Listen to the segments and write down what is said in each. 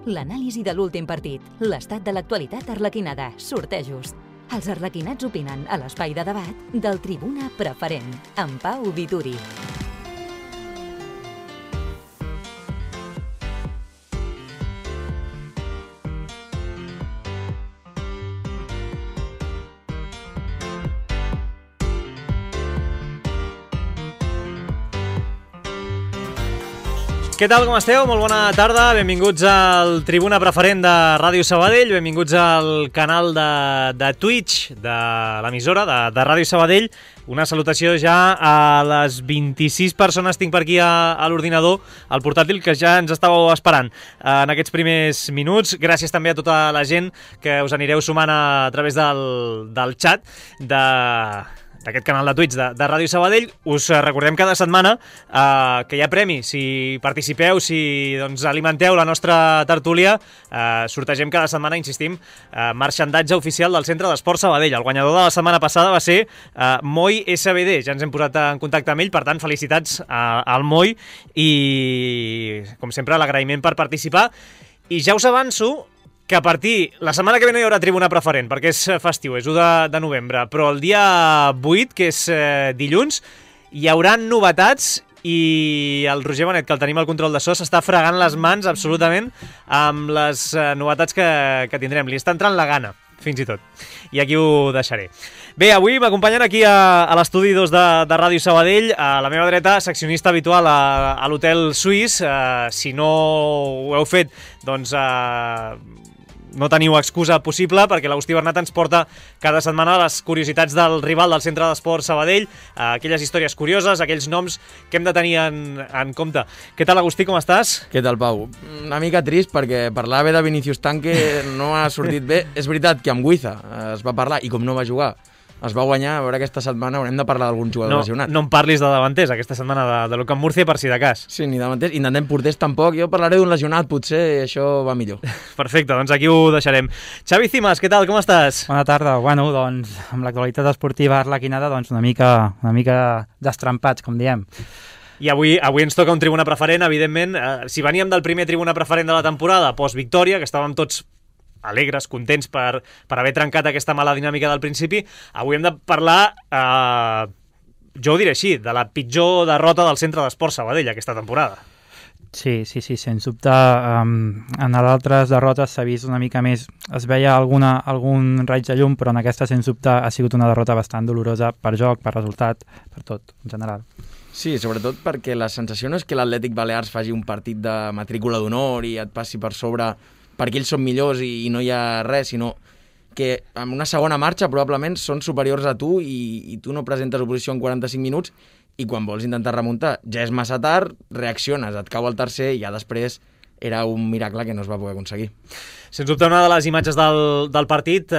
L'anàlisi de l'últim partit, l'estat de l'actualitat arlequinada, sortejos. Els arlequinats opinen a l'espai de debat del Tribuna Preferent, amb Pau Vituri. Què tal, com esteu? Molt bona tarda, benvinguts al Tribuna Preferent de Ràdio Sabadell, benvinguts al canal de Twitch de l'emissora de Ràdio Sabadell. Una salutació ja a les 26 persones tinc per aquí a l'ordinador, al portàtil, que ja ens estàveu esperant en aquests primers minuts. Gràcies també a tota la gent que us anireu sumant a través del xat d'aquest canal de Twitch de Ràdio Sabadell. Us recordem cada setmana que hi ha premi. Si participeu, si alimenteu la nostra tertúlia, sortegem cada setmana, insistim, marxandatge oficial del Centre d'Esport Sabadell. El guanyador de la setmana passada va ser Moi SBD. Ja ens hem posat en contacte amb ell, per tant, felicitats al Moi i, com sempre, l'agraïment per participar. I ja us avanço que a partir, la setmana que ve no hi haurà Tribuna Preferent, perquè és festiu, és 1 de novembre, però el dia 8, que és dilluns, hi haurà novetats i el Roger Benet, que el tenim al control de so, s'està fregant les mans absolutament amb les novetats que tindrem. Li està entrant la gana, fins i tot. I aquí ho deixaré. Bé, avui m'acompanyen aquí a l'estudi 2 de Ràdio Sabadell, a la meva dreta, seccionista habitual a l'Hotel Suís. Si no ho heu fet, doncs no teniu excusa possible, perquè l'Agustí Bernat ens porta cada setmana les curiositats del rival del Centre d'Esport Sabadell, aquelles històries curioses, aquells noms que hem de tenir en compte. Què tal, Agustí, com estàs? Què tal, Pau? Una mica trist, perquè parlar bé de Vinícius Tanque no ha sortit bé. És veritat que amb Guiza es va parlar, i com no va jugar, es va guanyar. A veure, aquesta setmana haurem de parlar d'algun jugador lesionat. No em parlis de davanters aquesta setmana de l'Ocan Múrcia, per si de cas. Sí, ni davanters. Intentem porters tampoc. Jo parlaré d'un lesionat, potser això va millor. Perfecte, doncs aquí ho deixarem. Xavi Cimas, què tal, com estàs? Bona tarda. Bueno, doncs, amb l'actualitat esportiva arlequinada, doncs una mica destrempats, com diem. I avui ens toca un Tribuna Preferent, evidentment. Si veníem del primer Tribuna Preferent de la temporada, post-victòria, que estàvem tots alegres, contents per haver trencat aquesta mala dinàmica del principi, avui hem de parlar, jo ho diré així, de la pitjor derrota del Centre d'Esport Sabadell aquesta temporada. Sí, sens dubte. En altres derrotes s'ha vist una mica més, es veia algun raig de llum, però en aquesta, sens dubte, ha sigut una derrota bastant dolorosa per joc, per resultat, per tot, en general. Sí, sobretot perquè la sensació no és que l'Atlètic Balears faci un partit de matrícula d'honor i et passi per sobre perquè ells són millors i no hi ha res, sinó que en una segona marxa probablement són superiors a tu i tu no presentes oposició en 45 minuts i quan vols intentar remuntar ja és massa tard, reacciones, et cau el tercer i ja després era un miracle que no es va poder aconseguir. Sens dubte, una de les imatges del partit,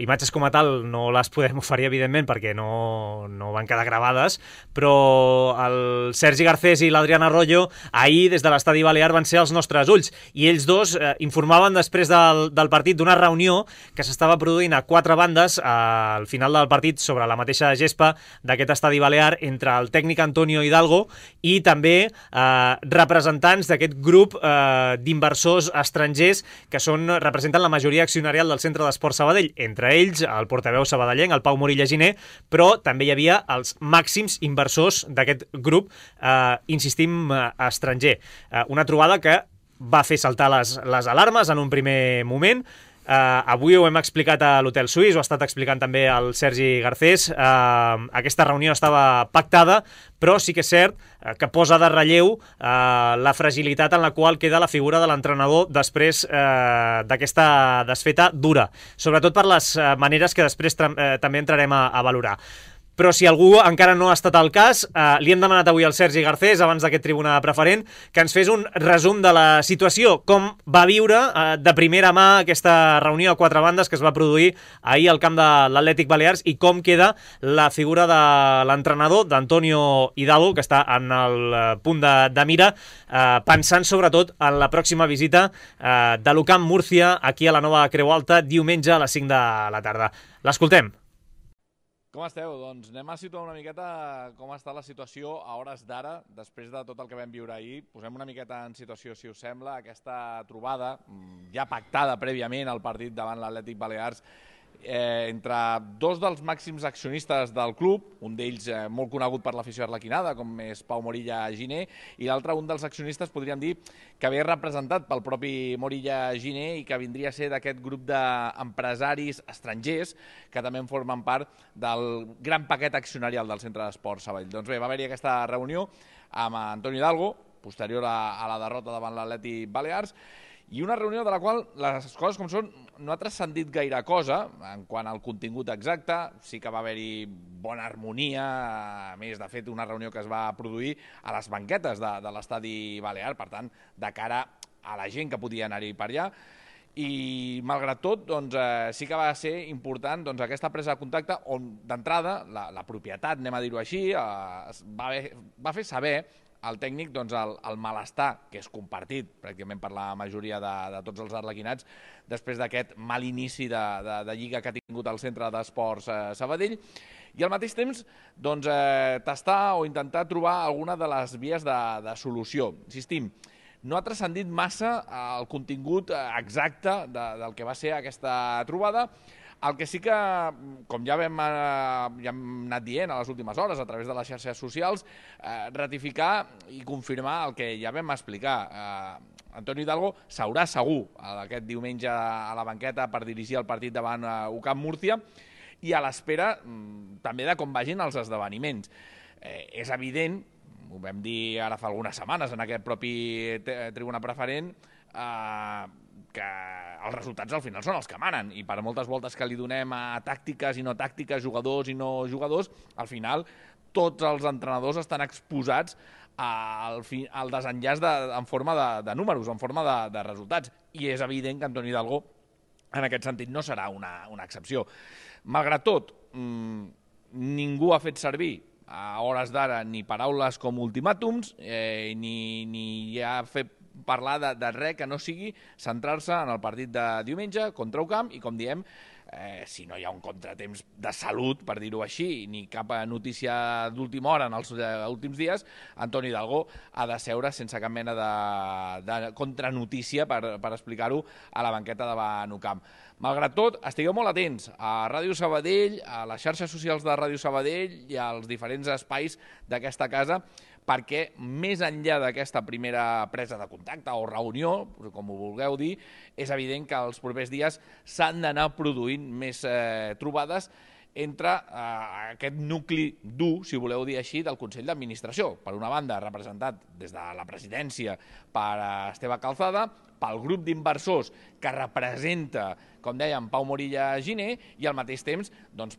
imatges com a tal no les podem oferir, evidentment, perquè no van quedar gravades, però el Sergi Garcés i l'Adrián Arroyo ahir des de l'estadi Balear van ser els nostres ulls, i ells dos informaven després del partit d'una reunió que s'estava produint a 4 bandes al final del partit sobre la mateixa gespa d'aquest estadi Balear entre el tècnic Antonio Hidalgo i també representants d'aquest grup d'inversors estrangers que representen la majoria accionarial del Centre d'Esport Sabadell, entre ells el portaveu sabadellenc, el Pau Morilla Giner, però també hi havia els màxims inversors d'aquest grup, insistim, estranger. Una trobada que va fer saltar les alarmes en un primer moment. Avui ho hem explicat a l'Hotel Suís, ho ha estat explicant també el Sergi Garcés. Aquesta reunió estava pactada, però sí que és cert que posa de relleu la fragilitat en la qual queda la figura de l'entrenador després d'aquesta desfeta dura, sobretot per les maneres que després també entrarem a valorar. Però si algú encara no ha estat al cas, li hem demanat avui al Sergi Garcés, abans d'aquest Tribuna Preferent, que ens fes un resum de la situació, com va viure de primera mà aquesta reunió a 4 bandes que es va produir ahir al camp de l'Atlètic Balears i com queda la figura de l'entrenador, d'Antonio Hidalgo, que està en el punt de mira, pensant sobretot en la pròxima visita de l'Ocan Múrcia aquí a la nova Creu Alta, diumenge a les 5 de la tarda. L'escoltem. Com esteu? Doncs anem a situar una miqueta com està la situació a hores d'ara, després de tot el que vam viure ahir. Posem una miqueta en situació, si us sembla, aquesta trobada, ja pactada prèviament al partit davant l'Atlètic Balears, entre dos dels màxims accionistes del club, un d'ells molt conegut per l'afició arlequinada, com és Pau Morilla Giner, i l'altre un dels accionistes, podríem dir, que ve representat pel propi Morilla Giner i que vindria a ser d'aquest grup d'empresaris estrangers que també en formen part del gran paquet accionarial del Centre d'Esports Sabadell. Doncs bé, va haver-hi aquesta reunió amb Antonio Hidalgo, posterior a la derrota davant l'Atlètic Balears, i una reunió de la qual les coses com són no ha transcendit gaire cosa en quant al contingut exacte. Sí que va haver-hi bona harmonia, a més, de fet, una reunió que es va produir a les banquetes de l'estadi balear, per tant, de cara a la gent que podia anar-hi per allà. I, malgrat tot, doncs, sí que va ser important aquesta presa de contacte on, d'entrada, la propietat, anem a dir-ho així, va fer saber al tècnic el malestar, que és compartit pràcticament per la majoria de tots els arlequinats, després d'aquest mal inici de lliga que ha tingut el Centre d'Esports Sabadell, i al mateix temps tastar o intentar trobar alguna de les vies de solució. Insistim, no ha transcendit massa el contingut exacte del que va ser aquesta trobada. El que sí que, com ja hem anat dient a les últimes hores a través de les xarxes socials, ratificar i confirmar el que ja vam explicar. Antonio Hidalgo s'haurà segur aquest diumenge a la banqueta per dirigir el partit davant UCAM Múrcia i a l'espera també de com vagin els esdeveniments. És evident, ho vam dir ara fa algunes setmanes en aquest propi tribuna preferent, que els resultats al final són els que manen i per moltes voltes que li donem a tàctiques i no tàctiques, jugadors i no jugadors, al final tots els entrenadors estan exposats al desenllaç en forma de números, en forma de resultats, i és evident que Antonio Hidalgo en aquest sentit no serà una excepció. Malgrat tot, ningú ha fet servir a hores d'ara ni paraules com ultimàtums ni ha fet parlar de res que no sigui centrar-se en el partit de diumenge contra UCAM i, com diem, si no hi ha un contratemps de salut, per dir-ho així, ni cap notícia d'última hora en els últims dies, Antonio Hidalgo ha de seure sense cap mena de contranotícia, per explicar-ho, a la banqueta davant UCAM. Malgrat tot, estigueu molt atents a Ràdio Sabadell, a les xarxes socials de Ràdio Sabadell i als diferents espais d'aquesta casa, perquè més enllà d'aquesta primera presa de contacte o reunió, com ho vulgueu dir, és evident que els propers dies s'han d'anar produint més trobades entre aquest nucli dur, si voleu dir així, del Consell d'Administració. Per una banda, representat des de la presidència per Esteve Calzada, pel grup d'inversors que representa, com dèiem, Pau Morilla Giner, i al mateix temps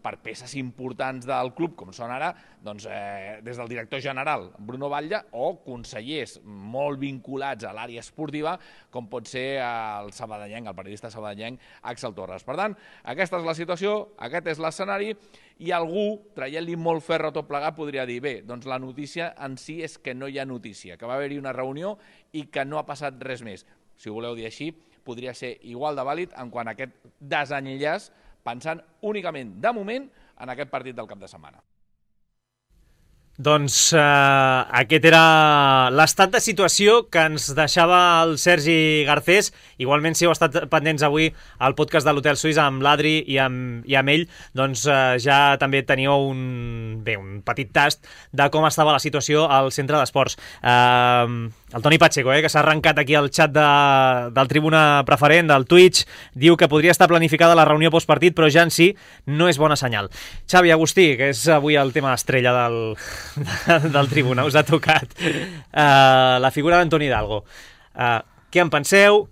per peces importants del club, com són ara des del director general Bruno Batlle o consellers molt vinculats a l'àrea esportiva, com pot ser el sabadellenc, el periodista sabadellenc Àxel Torres. Per tant, aquesta és la situació, aquest és l'escenari, i algú, traient-li molt ferro tot plegat, podria dir, bé, doncs la notícia en si és que no hi ha notícia, que va haver-hi una reunió i que no ha passat res més. Si ho voleu dir així, podria ser igual de vàlid en quant a aquest desenllaç, pensant únicament, de moment, en aquest partit del cap de setmana. Doncs aquest era l'estat de situació que ens deixava el Sergi Garcés. Igualment, si heu estat pendents avui al podcast de l'Hotel Suís amb l'Adri i amb ell, doncs ja també teníeu un petit tast de com estava la situació al centre d'esports. El Toni Pacheco, que s'ha arrencat aquí al xat del Tribuna Preferent, del Twitch, diu que podria estar planificada la reunió postpartit, però ja en si no és bona senyal. Xavi Agustí, que és avui el tema estrella del Tribuna, us ha tocat la figura d'Antoni Hidalgo. Què en penseu?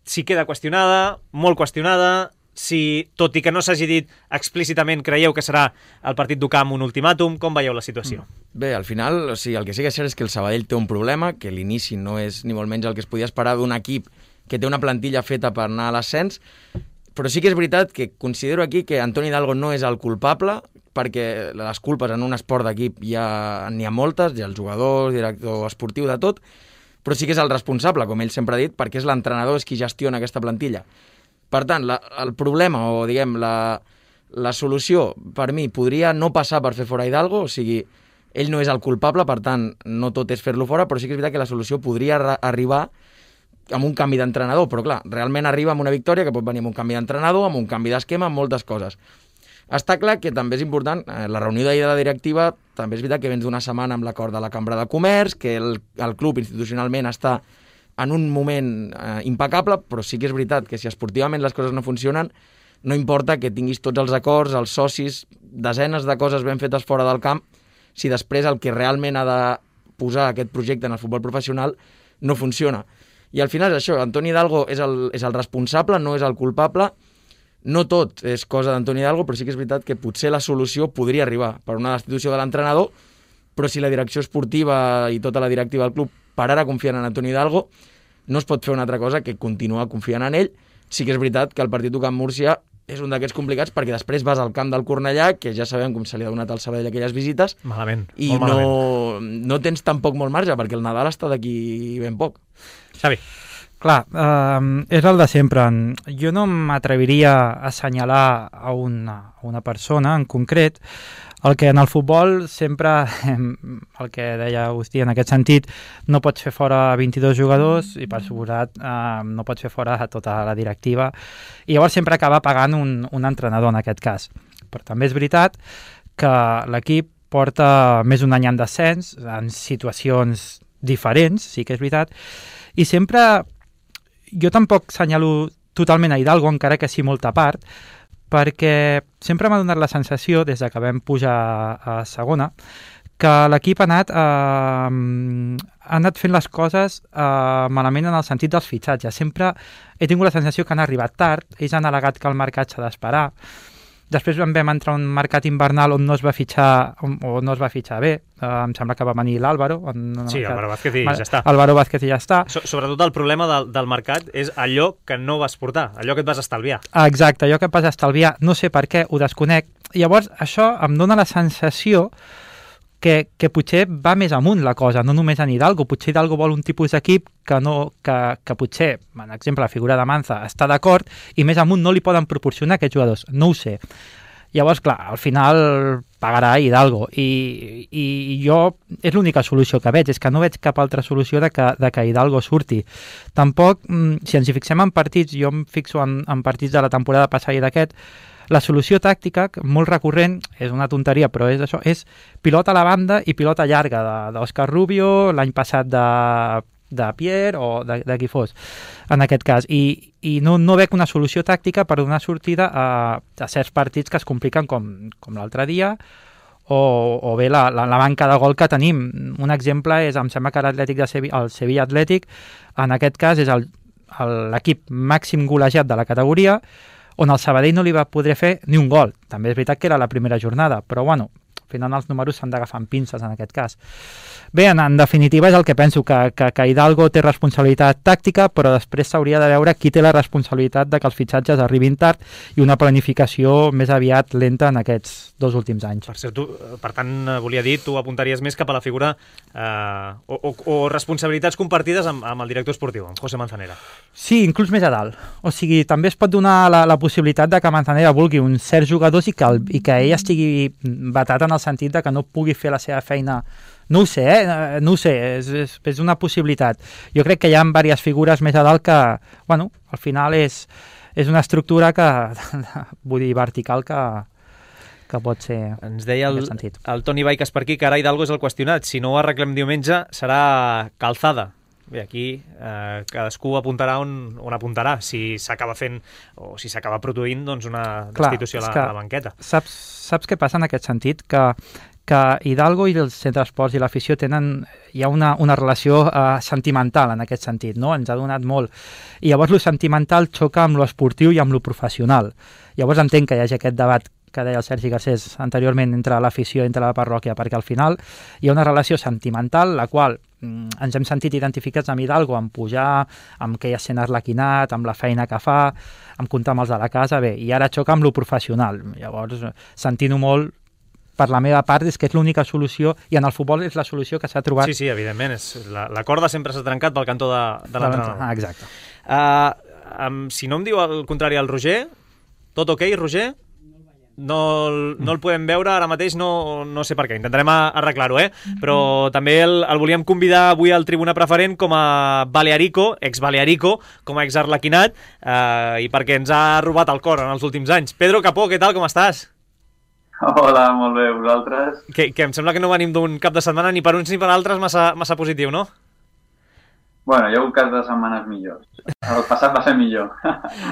Si queda qüestionada, molt qüestionada, si, tot i que no s'hagi dit explícitament, creieu que serà el partit d'UCAM un ultimàtum, com veieu la situació? Bé, al final, el que sí que és cert és que el Sabadell té un problema, que l'inici no és ni molt menys el que es podia esperar d'un equip que té una plantilla feta per anar a l'ascens, però sí que és veritat que considero aquí que Antoni Hidalgo no és el culpable, perquè les culpes en un esport d'equip n'hi ha moltes, hi ha els jugadors, director esportiu, de tot, però sí que és el responsable, com ell sempre ha dit, perquè és l'entrenador, és qui gestiona aquesta plantilla. Per tant, el problema, o diguem, La solució, per mi, podria no passar per fer fora Hidalgo, o sigui, ell no és el culpable, per tant, no tot és fer-lo fora, però sí que és veritat que la solució podria arribar amb un canvi d'entrenador, però clar, realment arriba amb una victòria que pot venir amb un canvi d'entrenador, amb un canvi d'esquema, amb moltes coses. Està clar que també és important, la reunió d'ahir de la directiva, també és veritat que vens d'una setmana amb l'acord de la Cambra de Comerç, que el club institucionalment està en un moment impecable, però sí que és veritat que si esportivament les coses no funcionen, no importa que tinguis tots els acords, els socis, desenes de coses ben fetes fora del camp, si després el que realment ha de posar aquest projecte en el futbol professional no funciona. I al final és això, Antoni Hidalgo és el responsable, no és el culpable. No tot és cosa d'Antoni Hidalgo, però sí que és veritat que potser la solució podria arribar per una destitució de l'entrenador, però si la direcció esportiva i tota la directiva del club per ara confien en Antoni Hidalgo, no es pot fer una altra cosa que continuar confiant en ell. Sí que és veritat que el partit del Camp Múrcia és un d'aquests complicats perquè després vas al camp del Cornellà, que ja sabem com se li ha donat al Sabadell aquelles visites, Malament, i molt malament. no tens tampoc molt marge, perquè el Nadal està d'aquí ben poc. Xavi. Clar, és el de sempre. Jo no m'atreviria a assenyalar a una persona en concret. El que en el futbol sempre, el que deia Agustí en aquest sentit, no pots fer fora 22 jugadors i per suposat no pots fer fora tota la directiva i llavors sempre acaba pagant un entrenador en aquest cas. Però també és veritat que l'equip porta més d'un any en descens, en situacions diferents, sí que és veritat, i sempre jo tampoc senyalo totalment a Hidalgo, encara que sí molta part, perquè sempre m'ha donat la sensació, des que vam pujar a segona, que l'equip ha anat fent les coses malament en el sentit dels fitxatges. Sempre he tingut la sensació que han arribat tard, ells han al·legat que el mercat s'ha d'esperar. Després vam entrar un mercat invernal on no es va fitxar o no es va fitxar bé. Em sembla que va venir l'Álvaro. Sí, Álvaro Vázquez i ja està. Álvaro Vázquez i ja està. Sobretot el problema del mercat és allò que no vas portar, allò que et vas estalviar. Exacte, allò que et vas estalviar. No sé per què, ho desconec. Llavors, això em dona la sensació que potser va més amunt la cosa, no només en Hidalgo. Potser Hidalgo vol un tipus d'equip que potser, per exemple, la figura de Manza està d'acord i més amunt no li poden proporcionar aquests jugadors. No ho sé. Llavors, clar, al final pagarà Hidalgo i jo és l'única solució que veig, és que no veig cap altra solució de que Hidalgo surti. Tampoc, si ens hi fixem en partits, jo em fixo en partits de la temporada passada i d'aquest, la solució tàctica, molt recurrent, és una tonteria, però és això, és pilota a la banda i pilota llarga d'Òscar Rubio, l'any passat de Pierre o de qui fos, en aquest cas. I no veig una solució tàctica per donar sortida a certs partits que es compliquen com l'altre dia, o bé la manca de gol que tenim. Un exemple és, em sembla que el Sevilla Atlètic, en aquest cas és l'equip màxim golejat de la categoria, on el Sabadell no li va poder fer ni un gol. També és veritat que era la primera jornada, però bueno, al final els números s'han d'agafar amb pinces en aquest cas. Bé, en definitiva és el que penso, que Hidalgo té responsabilitat tàctica, però després s'hauria de veure qui té la responsabilitat de que els fitxatges arribin tard i una planificació més aviat lenta en aquests 2 últims anys. Per tant, volia dir, tu apuntaries més cap a la figura o responsabilitats compartides amb el director esportiu, amb José Manzanera. Sí, inclús més a dalt. O sigui, també es pot donar la possibilitat de que Manzanera vulgui uns certs jugadors i que ell estigui batat en el sentit de que no pugui fer la seva feina. No ho sé, no ho sé, és una possibilitat. Jo crec que hi ha diverses figures més a dalt que, bueno, al final és una estructura que, vull dir, vertical que pot ser. Ens deia el Toni Baiques per aquí que ara Hidalgo és el qüestionat. Si no ho arreglem diumenge serà Calzada. Bé, aquí cadascú apuntarà on apuntarà, si s'acaba fent o si s'acaba produint doncs, una destitució a la banqueta. Saps què passa en aquest sentit? Que Hidalgo i els centres esports i l'afició hi ha una relació sentimental en aquest sentit, no? Ens ha donat molt. I llavors lo sentimental xoca amb lo esportiu i amb lo professional. Llavors entenc que hi hagi aquest debat que deia el Sergi Garcés anteriorment entre l'afició i entre la parròquia, perquè al final hi ha una relació sentimental, la qual ens hem sentit identificats amb Hidalgo, amb pujar, amb que hi ha sent arlequinat, amb la feina que fa, amb comptar amb els de la casa, bé, i ara xoca amb lo professional. Llavors, sentint-ho molt, per la meva part, és que és l'única solució, i en el futbol és la solució que s'ha trobat. Sí, evidentment, la corda sempre s'ha trencat pel cantó de l'entrenador. Exacte. Si no em diu el contrari el Roger, tot ok, Roger? no el podem veure ara mateix, no sé per què, intentarem arreglar-ho, però també el volíem convidar avui al Tribuna Preferent com a Balearico, ex-Balearico, com a ex-Arlequinat, i perquè ens ha robat el cor en els últims anys. Pedro Capó, què tal, com estàs? Hola, molt bé, vosaltres? Que em sembla que no venim d'un cap de setmana ni per uns ni per altres massa positiu, no? Bueno, hi ha un cas de setmanes millors. El passat va ser millor.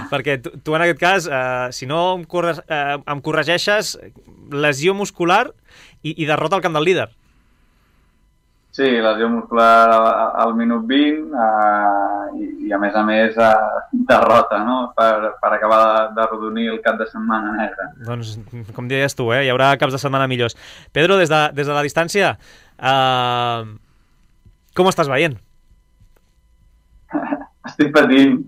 Perquè tu en aquest cas, si no em corregeixes, lesió muscular i derrota al camp del líder. Sí, lesió muscular al minut 20 i a més, derrota, no? Per acabar de rodonir el cap de setmana negre. Doncs, com deies tu, hi haurà caps de setmana millors. Pedro, des de la distància, com estàs veient? Estic patint.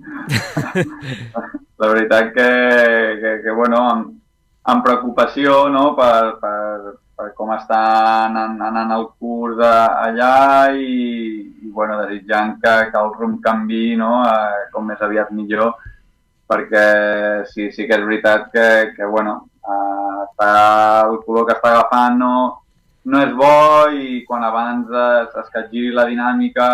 La veritat que bueno, amb preocupació, no?, per com està anant el curs allà i bueno, desitjant que el rumb canvi, no?, com més aviat millor, perquè sí que és veritat que bueno, el color que està agafant no és bo i quan abans es capgiri la dinàmica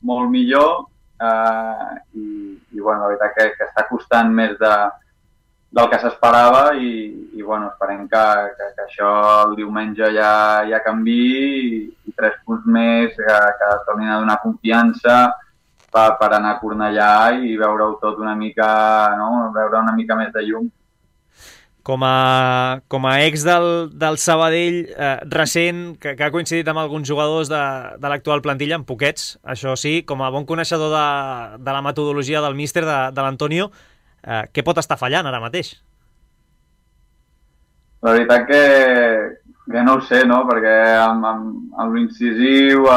molt millor, i bueno, la veritat que està costant més del que s'esperava i bueno, esperem que això el diumenge ja canviï i 3 punts més que tornin a donar confiança per anar a Cornellà i veure-ho tot una mica, no?, veure una mica més de llum. Com a ex del Sabadell recent, que ha coincidit amb alguns jugadors de l'actual plantilla, amb poquets, això sí, com a bon coneixedor de la metodologia del míster, de l'Antonio, què pot estar fallant ara mateix? La veritat que no ho sé, no?, perquè amb l'incisiu,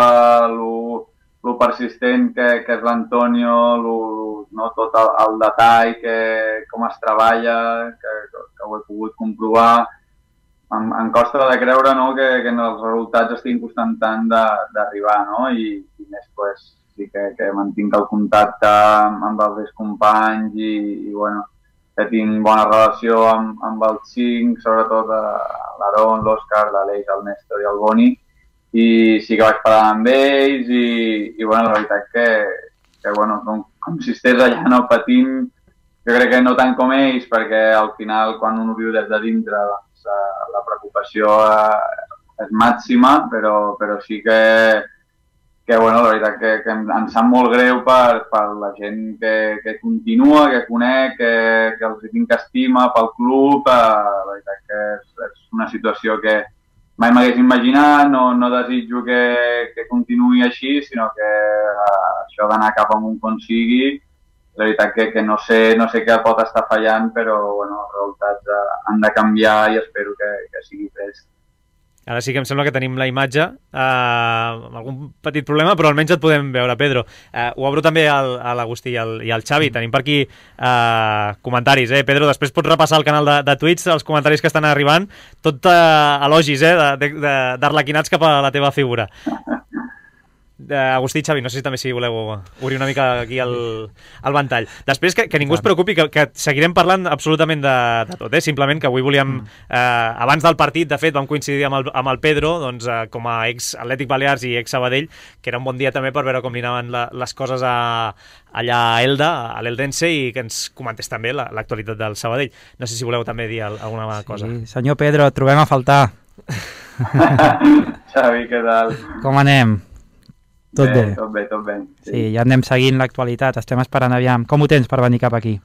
lo persistent que és l'Antonio, no, tot el detall, com es treballa, que ho he pogut comprovar. Em costa de creure, no?, que els resultats estiguin costant tant d'arribar, no?, i més pues, sí que mantinc el contacte amb els meus companys i bueno, que tinc bona relació amb els 5, sobretot l'Aaron, l'Òscar, l'Aleix, el Néstor i el Boni, i sí que vaig parlar amb ells i bueno, la veritat que bueno, com si estigués allà no patint, jo crec que no tant com ells, perquè al final quan un ho viu des de dintre doncs, la preocupació és màxima, però sí que bueno, la veritat que em sap molt greu per la gent que continua, que conec, que els tinc estima pel club, la veritat que és una situació que mai m'hagués imaginat, no desitjo que continuï així, sinó que això d'anar cap amunt com sigui, la veritat que no sé què pot estar fallant, però bueno, els resultats han de canviar i espero que sigui prest. Ara sí que em sembla que tenim la imatge, amb algun petit problema, però almenys et podem veure, Pedro. Ho obro també a l'Agustí i al Xavi. Tenim per aquí comentaris, Pedro, després pots repassar el canal de Twitch, els comentaris que estan arribant, tot elogis d'arlequinats cap a la teva figura. Agustí i Xavi, no sé si voleu obrir una mica aquí el ventall. Després que ningú es preocupi, que seguirem parlant absolutament de tot, simplement que avui volíem, abans del partit, de fet vam coincidir amb el Pedro, doncs, com a ex-Atlètic Balears i ex-Sabadell, que era un bon dia també per veure com li anaven les coses allà a Elda, a l'Eldense, i que ens comentés també l'actualitat del Sabadell. No sé si voleu també dir alguna cosa. Sí, senyor Pedro, et trobem a faltar. Xavi, què tal? Com anem? Tot bé? Tot bé. Sí, ja anem seguint l'actualitat, estem esperant aviam. Com ho tens per venir cap aquí?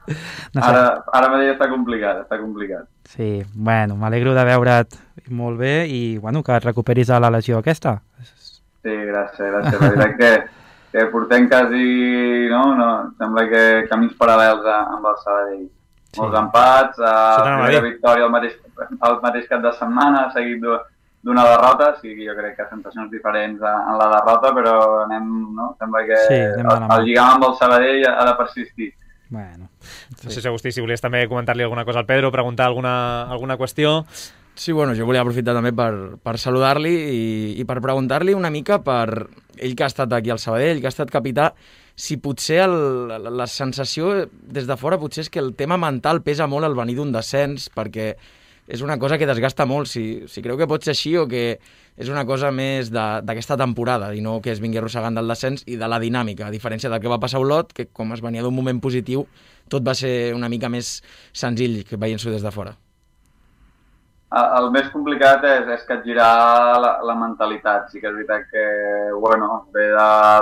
No sé. Ara mateix està complicat. Sí, bueno, m'alegro de veure't molt bé i bueno, que et recuperis de la lesió aquesta. Sí, gràcies. La veritat que portem quasi, sembla que camins paral·lels amb el Sabadell. Sí. Molts empats, primera victòria el mateix cap de setmana, seguit d'una derrota, sí, jo crec que sensacions diferents en la derrota, però sembla que el lligam amb el Sabadell ha de persistir. Bueno, no sé si, Agustí, si volies també comentar-li alguna cosa al Pedro, preguntar alguna qüestió. Sí, bueno, jo volia aprofitar també per saludar-li i per preguntar-li una mica per ell que ha estat aquí al Sabadell, que ha estat capità, si potser la sensació des de fora potser és que el tema mental pesa molt al venir d'un descens, perquè és una cosa que desgasta molt, si creu que pot ser així o que és una cosa més d'aquesta temporada i no que es vingui arrossegant del descens i de la dinàmica, a diferència del que va passar a Olot, que com es venia d'un moment positiu, tot va ser una mica més senzill que veient-s'ho des de fora. El més complicat és capgirar la mentalitat. Sí que és veritat que, bueno, ve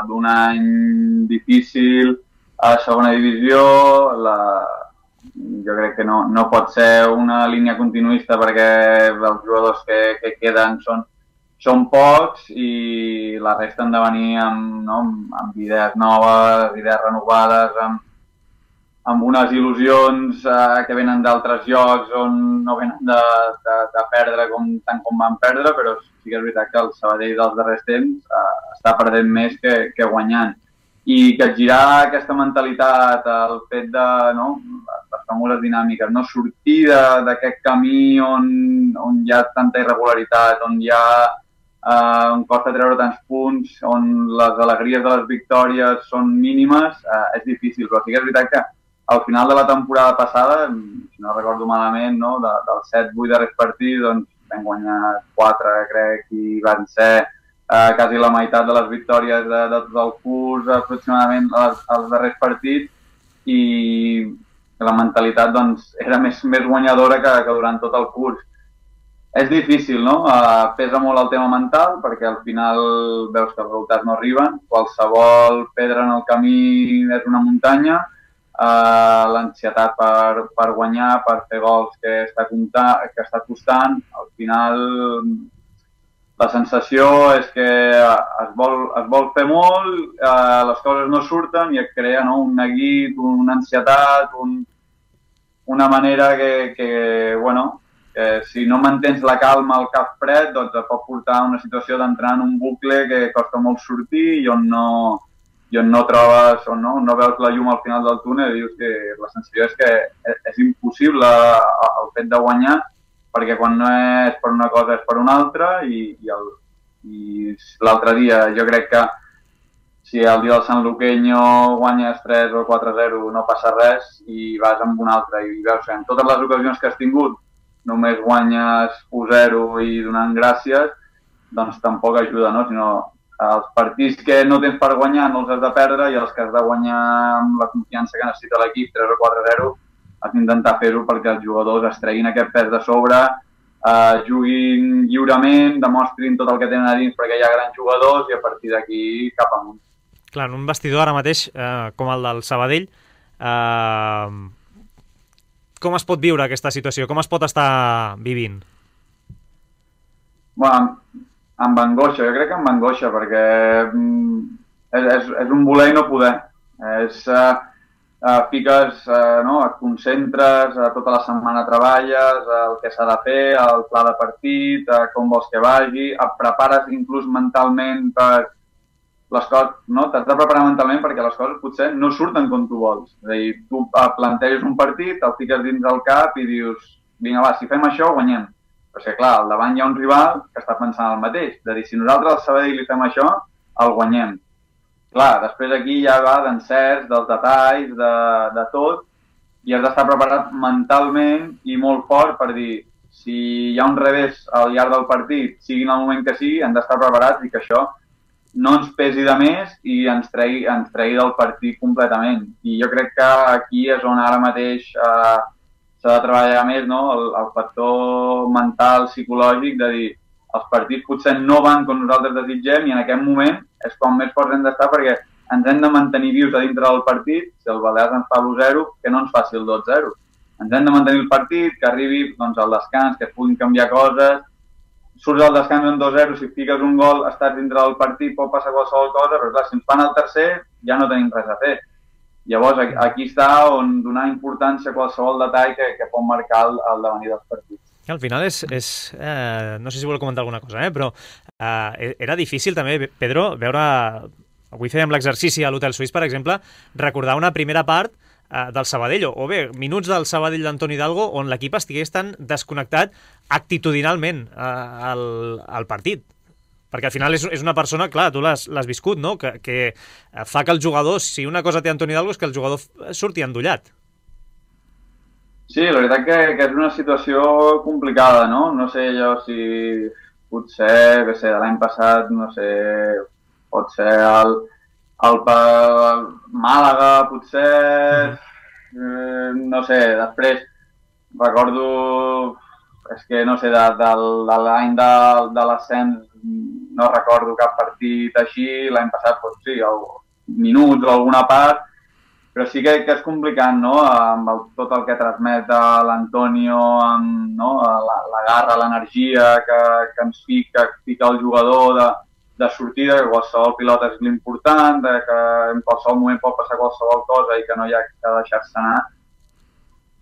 d'un any difícil a segona divisió, jo crec que no pot ser una línia continuista perquè els jugadors que queden són pocs i la resta han de venir amb idees noves, idees renovades, amb unes il·lusions que venen d'altres llocs on no venen de perdre tant com van perdre, però sí que és veritat que el Sabadell dels darrers temps està perdent més que guanyant. I capgirar aquesta mentalitat, el fet de les famoses dinàmiques, sortir d'aquest camí on hi ha tanta irregularitat, on costa treure tants punts, on les alegries de les victòries són mínimes, és difícil. Però sí que és veritat que al final de la temporada passada, si no recordo malament, dels 7-8 darrers partits, doncs vam guanyar 4, crec, i van ser quasi la meitat de les victòries de tot el curs, aproximadament als darrers partits, i la mentalitat era més guanyadora que durant tot el curs. És difícil, no? Pesa molt el tema mental, perquè al final veus que els resultats no arriben, qualsevol pedra en el camí és una muntanya, l'ansietat per guanyar, per fer gols que està costant, al final la sensació és que es vol fer molt, les coses no surten i et crea un neguit, una ansietat, una manera que si no mantens la calma al cap fred, doncs et pot portar a una situació d'entrar en un bucle que costa molt sortir i on no trobes o no veus la llum al final del túnel i dius que la sensació és que és impossible el fet de guanyar, perquè quan no és per una cosa és per una altra i l'altre dia jo crec que si el dia del Sant Luqueño guanyes 3 o 4-0 no passa res i vas amb un altre i veus que en totes les ocasions que has tingut només guanyes 1-0 i donant gràcies, doncs tampoc ajuda, no? Sinó els partits que no tens per guanyar no els has de perdre i els que has de guanyar amb la confiança que necessita l'equip 3 o 4-0 has d'intentar fer-ho perquè els jugadors es treguin aquest pes de sobre, juguin lliurement, demostrin tot el que tenen a dins perquè hi ha grans jugadors i a partir d'aquí cap amunt. Clar, en un vestidor ara mateix, com el del Sabadell, com es pot viure aquesta situació? Com es pot estar vivint? Bueno, amb angoixa, jo crec que amb angoixa, perquè és un voler i no poder. Fiques, et concentres, tota la setmana treballes, el que s'ha de fer, el pla de partit, com vols que vagi, et prepares inclús mentalment per les coses, t'has de preparar mentalment perquè les coses potser no surten com tu vols. És a dir, tu planteges un partit, el fiques dins del cap i dius, vinga va, si fem això guanyem. Però és que clar, al davant hi ha un rival que està pensant el mateix, de dir, si nosaltres al Sabadell li fem això, el guanyem. Clar, després aquí ja va d'encerts, dels detalls, de tot, i has d'estar preparat mentalment i molt fort per dir, si hi ha un revés al llarg del partit, sigui en el moment que sigui, hem d'estar preparats i que això no ens pesi de més i ens tregui del partit completament. I jo crec que aquí és on ara mateix s'ha de treballar més, no? El factor mental, psicològic, de dir, els partits potser no van com nosaltres desitgem i en aquest moment és quan més forts hem d'estar perquè ens hem de mantenir vius a dintre del partit. Si el Balears ens fa l'1-0, que no ens faci el 2-0. Ens hem de mantenir el partit, que arribi al descans, que es puguin canviar coses. Surts al descans en 2-0, si fiques un gol, estàs dintre del partit, pot passar qualsevol cosa, però clar, si ens fan el tercer ja no tenim res a fer. Llavors aquí està on donar importància a qualsevol detall que pot marcar el devenir dels partits. Al final no sé si vol comentar alguna cosa, però era difícil també, Pedro, veure, avui fèiem l'exercici a l'Hotel Suís, per exemple, recordar una primera part del Sabadell, o bé, minuts del Sabadell d'Antoni Hidalgo, on l'equip estigués tan desconnectat actitudinalment al partit. Perquè al final és una persona, clar, tu l'has viscut, no? Que fa que el jugador, si una cosa té Antoni Hidalgo, és que el jugador surti endollat. Sí, la veritat que és una situació complicada, no? No sé jo si potser, de l'any passat, no sé, pot ser el Màlaga, potser, no sé, després recordo, és que no sé, de l'any de l'ascens no recordo cap partit així, l'any passat, doncs sí, minuts o alguna part, però sí que és complicat, no?, amb tot el que transmet l'Antonio, amb la garra, l'energia que ens fica el jugador de sortida, que qualsevol pilota és l'important, que en qualsevol moment pot passar qualsevol cosa i que no hi ha que deixar-se anar.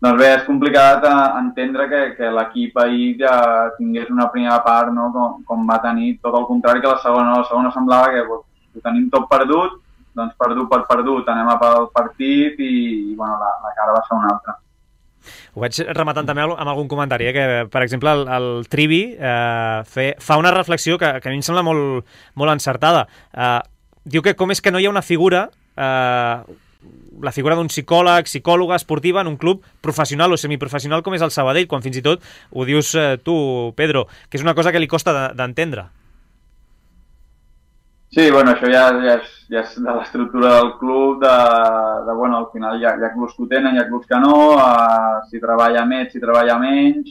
Doncs bé, és complicat entendre que l'equip ahir ja tingués una primera part, no?, com va tenir, tot el contrari que la segona. La segona semblava que ho tenim tot perdut, doncs perdut per perdut, anem a pel partit i bueno, la cara va ser una altra. Ho vaig rematant també amb algun comentari, que per exemple el Trivi fa una reflexió que a mi em sembla molt encertada. Diu que com és que no hi ha una figura, la figura d'un psicòleg, psicòloga esportiva en un club professional o semiprofessional com és el Sabadell, quan fins i tot ho dius tu, Pedro, que és una cosa que li costa d'entendre. Sí, bueno, això ja és de l'estructura del club, bueno, al final hi ha clubs que ho tenen, hi ha clubs que no, si treballa més, si treballa menys,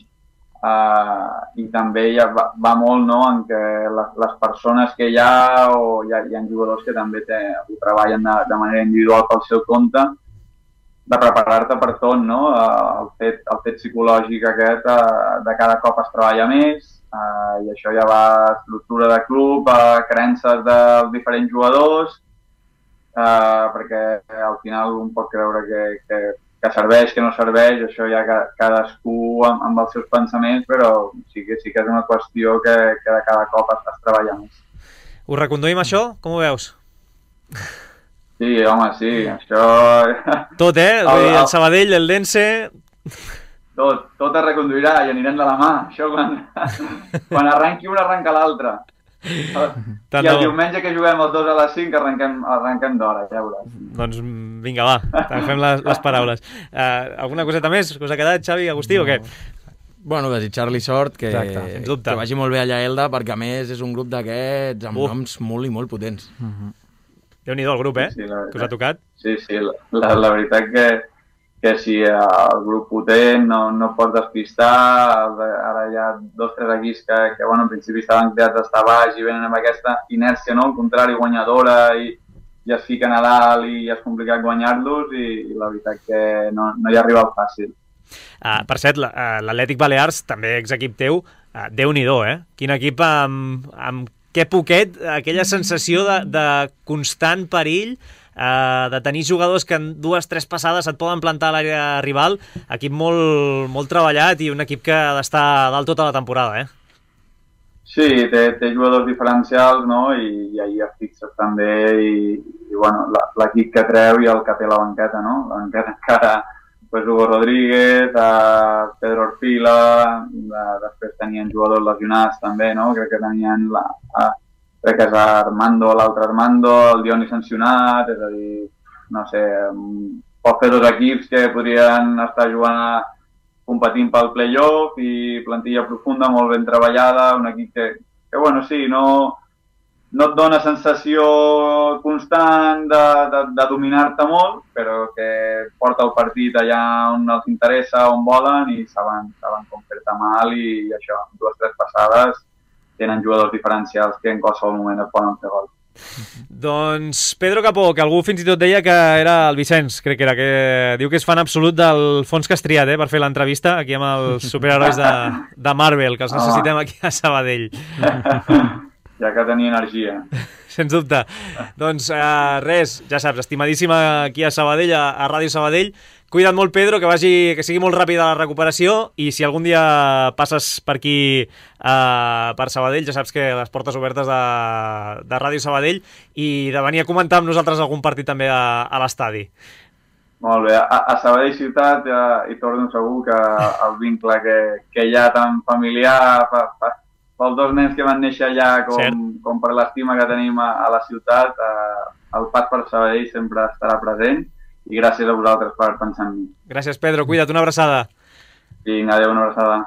i també ja va molt, no?, en què les persones que hi ha, o hi ha jugadors que també ho treballen de manera individual pel seu compte, de preparar-te per tot, no?, el fet psicològic aquest de cada cop es treballa més, i això ja va a estructura de club, a creences dels diferents jugadors, perquè al final un pot creure que serveix, que no serveix, això ja cadascú amb els seus pensaments, però sí que és una qüestió que de cada cop es treballa més. Ho reconduïm això? Com ho veus? Sí, home, sí, això... Tot, Vull dir, el Sabadell, el Dense... Tot es reconduirà i anirem de la mà. Això quan arrenqui un, arrenca l'altre. I el diumenge que juguem els 2 a les 5 arrenquem d'hora, ja veuràs. Doncs vinga, va, fem les paraules. Alguna coseta més? Us ha quedat, Xavi, Agustí, o què? Bueno, desitjar-li sort, que vagi molt bé allà a Elda, perquè a més és un grup d'aquests amb noms molt i molt potents. Déu-n'hi-do el grup, Sí, que us ha tocat. Sí, la veritat que si el grup potent no pot despistar, ara hi ha 2 o 3 equips que bueno, en principi estaven creats d'estar baix i venen amb aquesta inèrcia, no?, al contrari, guanyadora, i es fiquen a dalt i és complicat guanyar-los, i la veritat que no hi arriba al fàcil. Per cert, l'Atlètic Balears, també exequip teu, Déu-n'hi-do, Quin equip amb que poquet, aquella sensació de constant perill, de tenir jugadors que en 2 o 3 passades et poden plantar a l'àrea rival, equip molt treballat i un equip que ha d'estar dalt tota la temporada, Sí, té jugadors diferencials, no?, i ahir es fixes també, i bueno, l'equip que treu i el que té la banqueta, no? La banqueta encara, pues Hugo Rodríguez, Pedro Orfila, després tenien jugadors lesionats també, no?, crec que tenien crec que és Armando, l'altre Armando, el Dioni sancionat, és a dir, no sé, pot fer 2 equips que podrien estar jugant competint pel play-off i plantilla profunda, molt ben treballada, un equip que bueno, sí, no et dona sensació constant de dominar-te molt, però que porta el partit allà on els interessa, on volen, i saben com fer-te mal, i això, 2 o 3 passades tenen jugadors diferencials que en qualsevol moment et poden fer gol. Doncs Pedro Capó, que algú fins i tot deia que era el Vicenç, crec que era, que diu que és fan absolut del Fons Castriat, per fer l'entrevista aquí amb els superherois de Marvel, que els necessitem aquí a Sabadell. Ja que tenia energia. Sens dubte. Doncs res, ja saps, estimadíssima aquí a Sabadell, a Ràdio Sabadell. Cuida't molt, Pedro, que sigui molt ràpida la recuperació, i si algun dia passes per aquí, per Sabadell, ja saps que les portes obertes de Ràdio Sabadell, i de venir a comentar amb nosaltres algun partit també a l'estadi. Molt bé, a Sabadell ciutat hi torno segur que el vincle que hi ha tan familiar pels dos nens que van néixer allà com per l'estima que tenim a la ciutat, el pas per Sabadell sempre estarà present i gràcies a vosaltres per pensar en mi. Gràcies, Pedro. Cuida't, una abraçada. Vinga, adéu, una abraçada.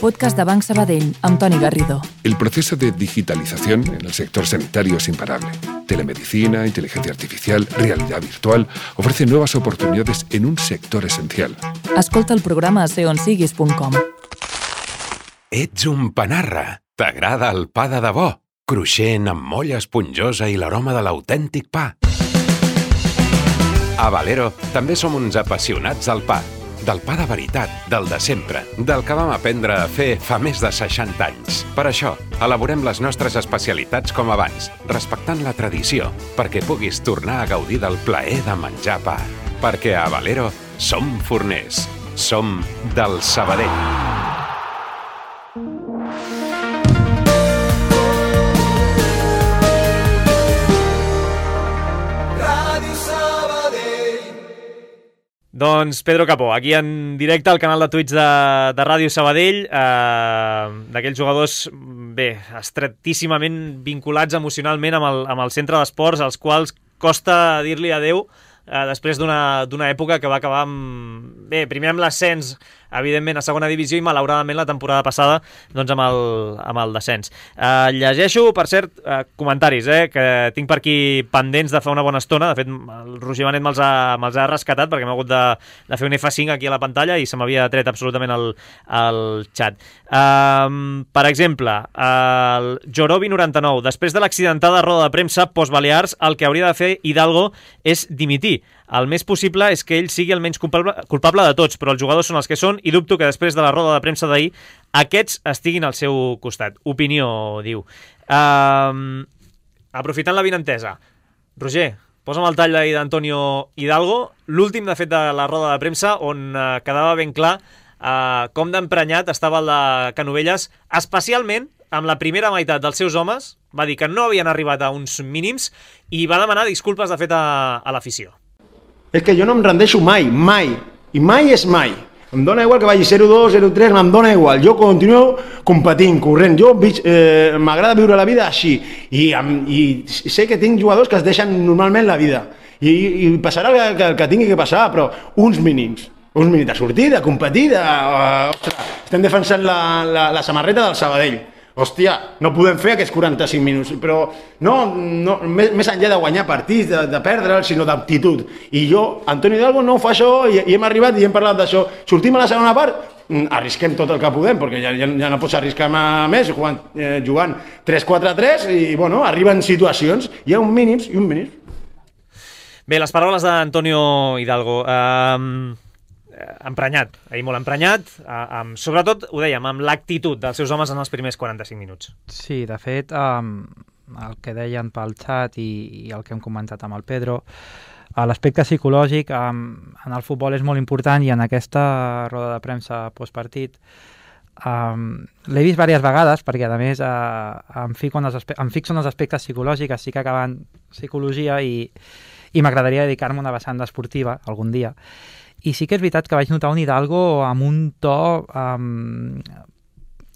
Podcast de Banc Sabadell, amb Toni Garrido. El proceso de digitalización en el sector sanitario es imparable. Telemedicina, inteligencia artificial, realidad virtual ofrecen nuevas oportunidades en un sector esencial. Escolta el programa a seonsiguis.com. Ets un panarra. T'agrada el pa de debò? Cruixent, amb molla esponjosa i l'aroma de l'autèntic pa. A Valero també som uns apassionats del pa. Del pa de veritat, del de sempre, del que vam aprendre a fer fa més de 60 anys. Per això, elaborem les nostres especialitats com abans, respectant la tradició, perquè puguis tornar a gaudir del plaer de menjar pa. Perquè a Valero som forners. Som del Sabadell. Doncs Pedro Capó, aquí en directe al canal de Twitch de Ràdio Sabadell, d'aquells jugadors, bé, estretíssimament vinculats emocionalment amb el centre d'esports, als quals costa dir-li adeu després d'una època que va acabar primer amb l'ascens, evidentment, a segona divisió i malauradament la temporada passada doncs amb el descens. Llegeixo, per cert, comentaris que tinc per aquí pendents de fa una bona estona. De fet, el Roger Benet me'ls ha rescatat perquè m'ha hagut de fer un F5 aquí a la pantalla i se m'havia tret absolutament el xat. Per exemple, el Jorobi99, després de l'accidentada roda de premsa post-Balears, el que hauria de fer Hidalgo és dimitir. El més possible és que ell sigui el menys culpable de tots, però els jugadors són els que són i dubto que després de la roda de premsa d'ahir aquests estiguin al seu costat. Opinió, diu. Aprofitant l'avinentesa, Roger, posa'm el tall d'ahir d'Antonio Hidalgo, l'últim, de fet, de la roda de premsa, on quedava ben clar com d'emprenyat estava el de Canovelles, especialment amb la primera meitat dels seus homes. Va dir que no havien arribat a uns mínims i va demanar disculpes, de fet, a l'afició. És que jo no em rendeixo mai, mai, i mai és mai. Em dóna igual que vagi 0-2, 0-3, em dóna igual. Jo continuo competint, corrent. Jo m'agrada viure la vida així. I sé que tinc jugadors que es deixen normalment la vida. I passarà el que tingui que passar, però uns mínims de sortir, de competir, ostres, estem defensant la samarreta del Sabadell. Hòstia, no podem fer aquests 45 minuts, però no, més enllà de guanyar partits, de perdre'ls, sinó d'aptitud. I jo, Antonio Hidalgo, no ho fa això, i hem arribat i hem parlat d'això. Sortim a la segona part, arrisquem tot el que podem, perquè ja no pots arriscar més jugant 3-4-3, i bueno, arriben situacions, hi ha uns mínims i uns mínims. Bé, les paraules d'Antonio Hidalgo. Emprenyat, molt emprenyat, sobretot, ho dèiem, amb l'actitud dels seus homes en els primers 45 minuts. Sí, de fet, el que deien pel xat i el que hem comentat amb el Pedro, l'aspecte psicològic en el futbol és molt important i en aquesta roda de premsa postpartit l'he vist diverses vegades perquè a més em fixo en els aspectes psicològics, estic acabant psicologia i m'agradaria dedicar-me a una vessant esportiva algun dia. I sí que és veritat que vaig notar un Hidalgo amb un to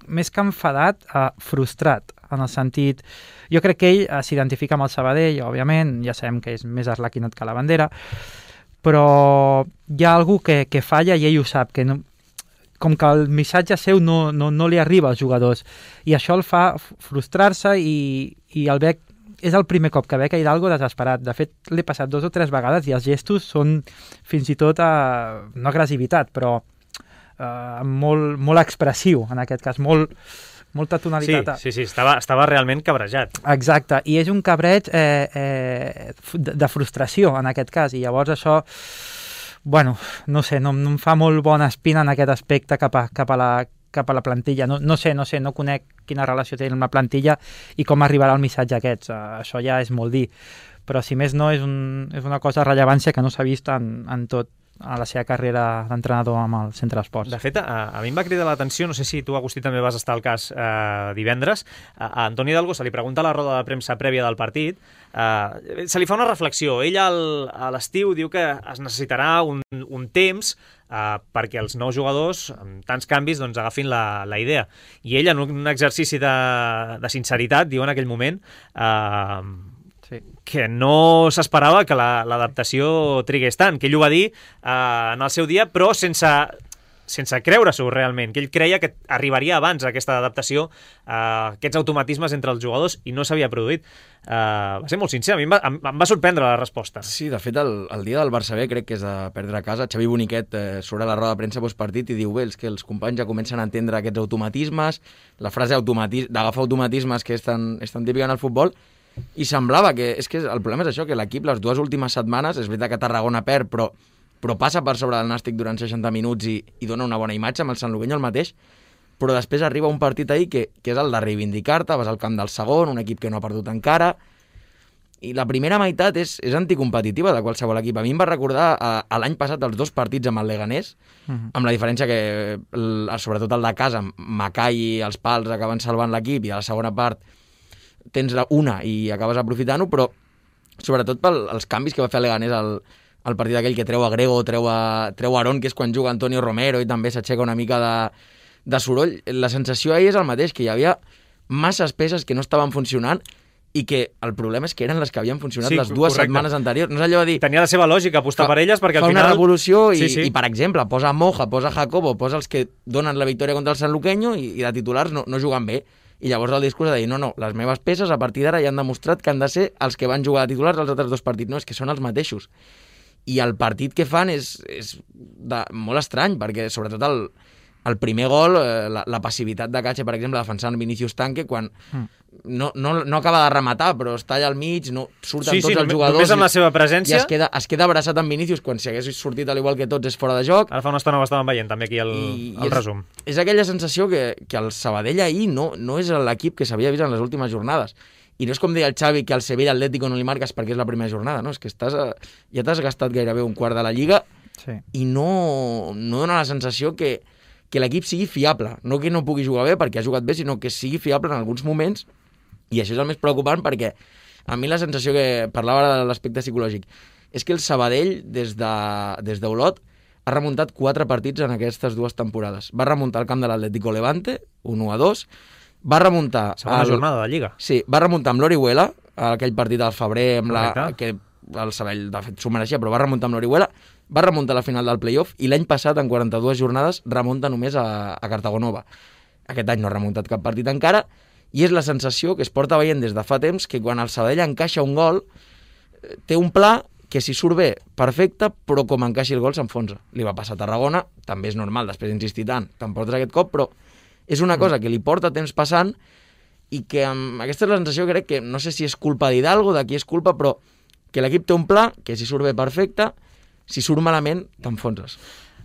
més que enfadat, frustrat, en el sentit... Jo crec que ell s'identifica amb el Sabadell, òbviament, ja sabem que és més arlequinat que la bandera, però hi ha algú que falla i ell ho sap, que no, com que el missatge seu no li arriba als jugadors, i això el fa frustrar-se i el veig. És el primer cop que veig a Hidalgo desesperat. De fet, l'he passat 2 o 3 vegades i els gestos són fins i tot, no agressivitat, però molt expressiu, en aquest cas, molta tonalitat. Sí, estava realment cabrejat. Exacte, i és un cabreig de frustració, en aquest cas, i llavors això, bueno, no sé, no em fa molt bona espina en aquest aspecte cap a la plantilla. No sé, no conec quina relació té amb la plantilla i com arribarà el missatge aquests. Això ja és molt dir. Però si més no, és una cosa de rellevància que no s'ha vist en a la seva carrera d'entrenador amb el Centre d'Esports. De fet, a mi em va cridar l'atenció, no sé si tu, Agustí, també vas estar al cas divendres, a Antoni Hidalgo se li pregunta a la roda de premsa prèvia del partit, se li fa una reflexió. Ell a l'estiu diu que es necessitarà un temps perquè els nous jugadors, amb tants canvis, doncs agafin la idea. I ell, en un exercici de sinceritat, diu en aquell moment que no s'esperava que l'adaptació trigués tant, que ell ho va dir en el seu dia, però sense creure-s'ho realment, que ell creia que arribaria abans aquesta adaptació, aquests automatismes entre els jugadors, i no s'havia produït. Va ser molt sincer, a mi em va sorprendre la resposta. Sí, de fet, el dia del Barça B, crec que és de perdre a casa, Xavi Boniquet surt a la roda de premsa postpartit i diu, bé, que els companys ja comencen a entendre aquests automatismes, la frase d'agafar automatismes que és tan típica en el futbol, i semblava que el problema és això, que l'equip les 2 últimes setmanes, és veritat que Tarragona perd, però passa per sobre del Nàstic durant 60 minuts i dona una bona imatge, amb el Sant Lugueño el mateix, però després arriba un partit ahir que és el de reivindicar-te, vas al camp del segon, un equip que no ha perdut encara, i la primera meitat és anticompetitiva de qualsevol equip. A mi em va recordar a l'any passat els 2 partits amb el Leganés, amb la diferència que, sobretot el de casa, Macai i els pals acaben salvant l'equip, i a la segona part tens una i acabes aprofitant-ho, però sobretot pels canvis que va fer el Leganés al partit aquell, que treu a Grego, treu a Aarón, que és quan juga Antonio Romero, i també s'aixeca una mica de soroll. La sensació ahir és el mateix, que hi havia masses peces que no estaven funcionant, i que el problema és que eren les que havien funcionat les 2 setmanes anteriors. No és allò de dir... Tenia la seva lògica apostar per elles, perquè al final... Fa una revolució i, per exemple, posa Moja, posa Jacobo, posa els que donen la victòria contra el Sant Luqueño i de titulars no juguen bé. I llavors el discurs de dir, no, les meves peces a partir d'ara ja han demostrat que han de ser els que van jugar de titulars als altres 2 partits. No, és que són els mateixos. I el partit que fan és molt estrany, perquè sobretot el primer gol, la passivitat de Cache, per exemple, defensant Vinicius Tanque, quan no acaba de rematar, però està allà al mig, no surten tots els jugadors... Només amb la seva presència... I es queda abraçat amb Vinicius, quan si hagués sortit al igual que tots és fora de joc. Ara fa una estona ho estàvem veient, també, aquí el resum. És aquella sensació que el Sabadell ahir no és l'equip que s'havia vist en les últimes jornades. I no és com deia el Xavi, que al Sevilla Atlético no li marques perquè és la primera jornada, no? És que ja t'has gastat gairebé un quart de la Lliga i no dona la sensació que l'equip sigui fiable. No que no pugui jugar bé perquè ha jugat bé, sinó que sigui fiable en alguns moments, i això és el més preocupant, perquè a mi la sensació que parlava ara de l'aspecte psicològic és que el Sabadell, des d'Olot, ha remuntat 4 partits en aquestes 2 temporades. Va remuntar el camp de l'Atlético Levante, 1-2, va remuntar... Segona jornada de Lliga. Sí, va remuntar amb l'Orihuela, aquell partit al febrer, que el Sabadell, de fet, s'ho mereixia, però va remuntar amb l'Orihuela, va remuntar a la final del playoff, i l'any passat, en 42 jornades, remunta només a Cartagonova. Aquest any no ha remuntat cap partit encara, i és la sensació que es porta veient des de fa temps, que quan el Sabadell encaixa un gol, té un pla que si surt bé, perfecte, però com encaixi el gol s'enfonsa. Li va passar a Tarragona, també és normal, després d'insistir tant, te'n portes aquest cop, però és una cosa que li porta temps passant, i que aquesta és la sensació, crec que, no sé si és culpa d'Hidalgo, de qui és culpa, però que l'equip té un pla, que si surt bé, perfecte, si surt malament, t'enfonses.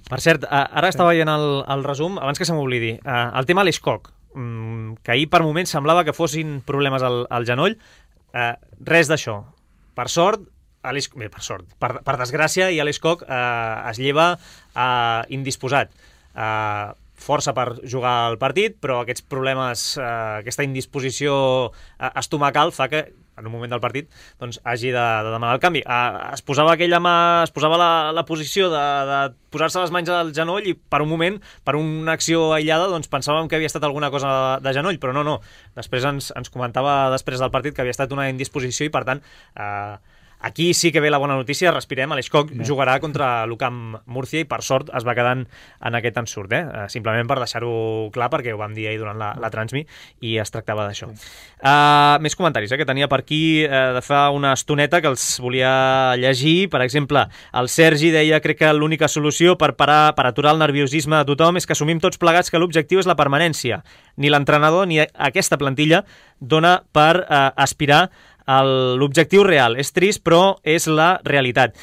Per cert, ara estava veient el resum, abans que se m'oblidi, el tema Alexcock, que ahir per moments semblava que fossin problemes al genoll, res d'això. Per sort, per desgràcia, i Alexcock es lleva indisposat. Força per jugar al partit, però aquests problemes, aquesta indisposició estomacal fa que en un moment del partit doncs, hagi de demanar el canvi. Es posava aquella mà, es posava la posició de posar-se les mans al genoll, i per un moment, per una acció aïllada, doncs pensàvem que havia estat alguna cosa de genoll, però no. Després ens comentava després del partit que havia estat una indisposició, i per tant aquí sí que ve la bona notícia, respirem, Alexcock jugarà contra l'UCAM Múrcia, i per sort es va quedant en aquest ensurt, simplement per deixar-ho clar, perquè ho vam dir ahir durant la transmi i es tractava d'això. Més comentaris que tenia per aquí de fa una estoneta que els volia llegir. Per exemple, el Sergi deia: crec que l'única solució per aturar el nerviosisme de tothom és que assumim tots plegats que l'objectiu és la permanència. Ni l'entrenador ni aquesta plantilla dona per aspirar l'objectiu real. És trist, però és la realitat.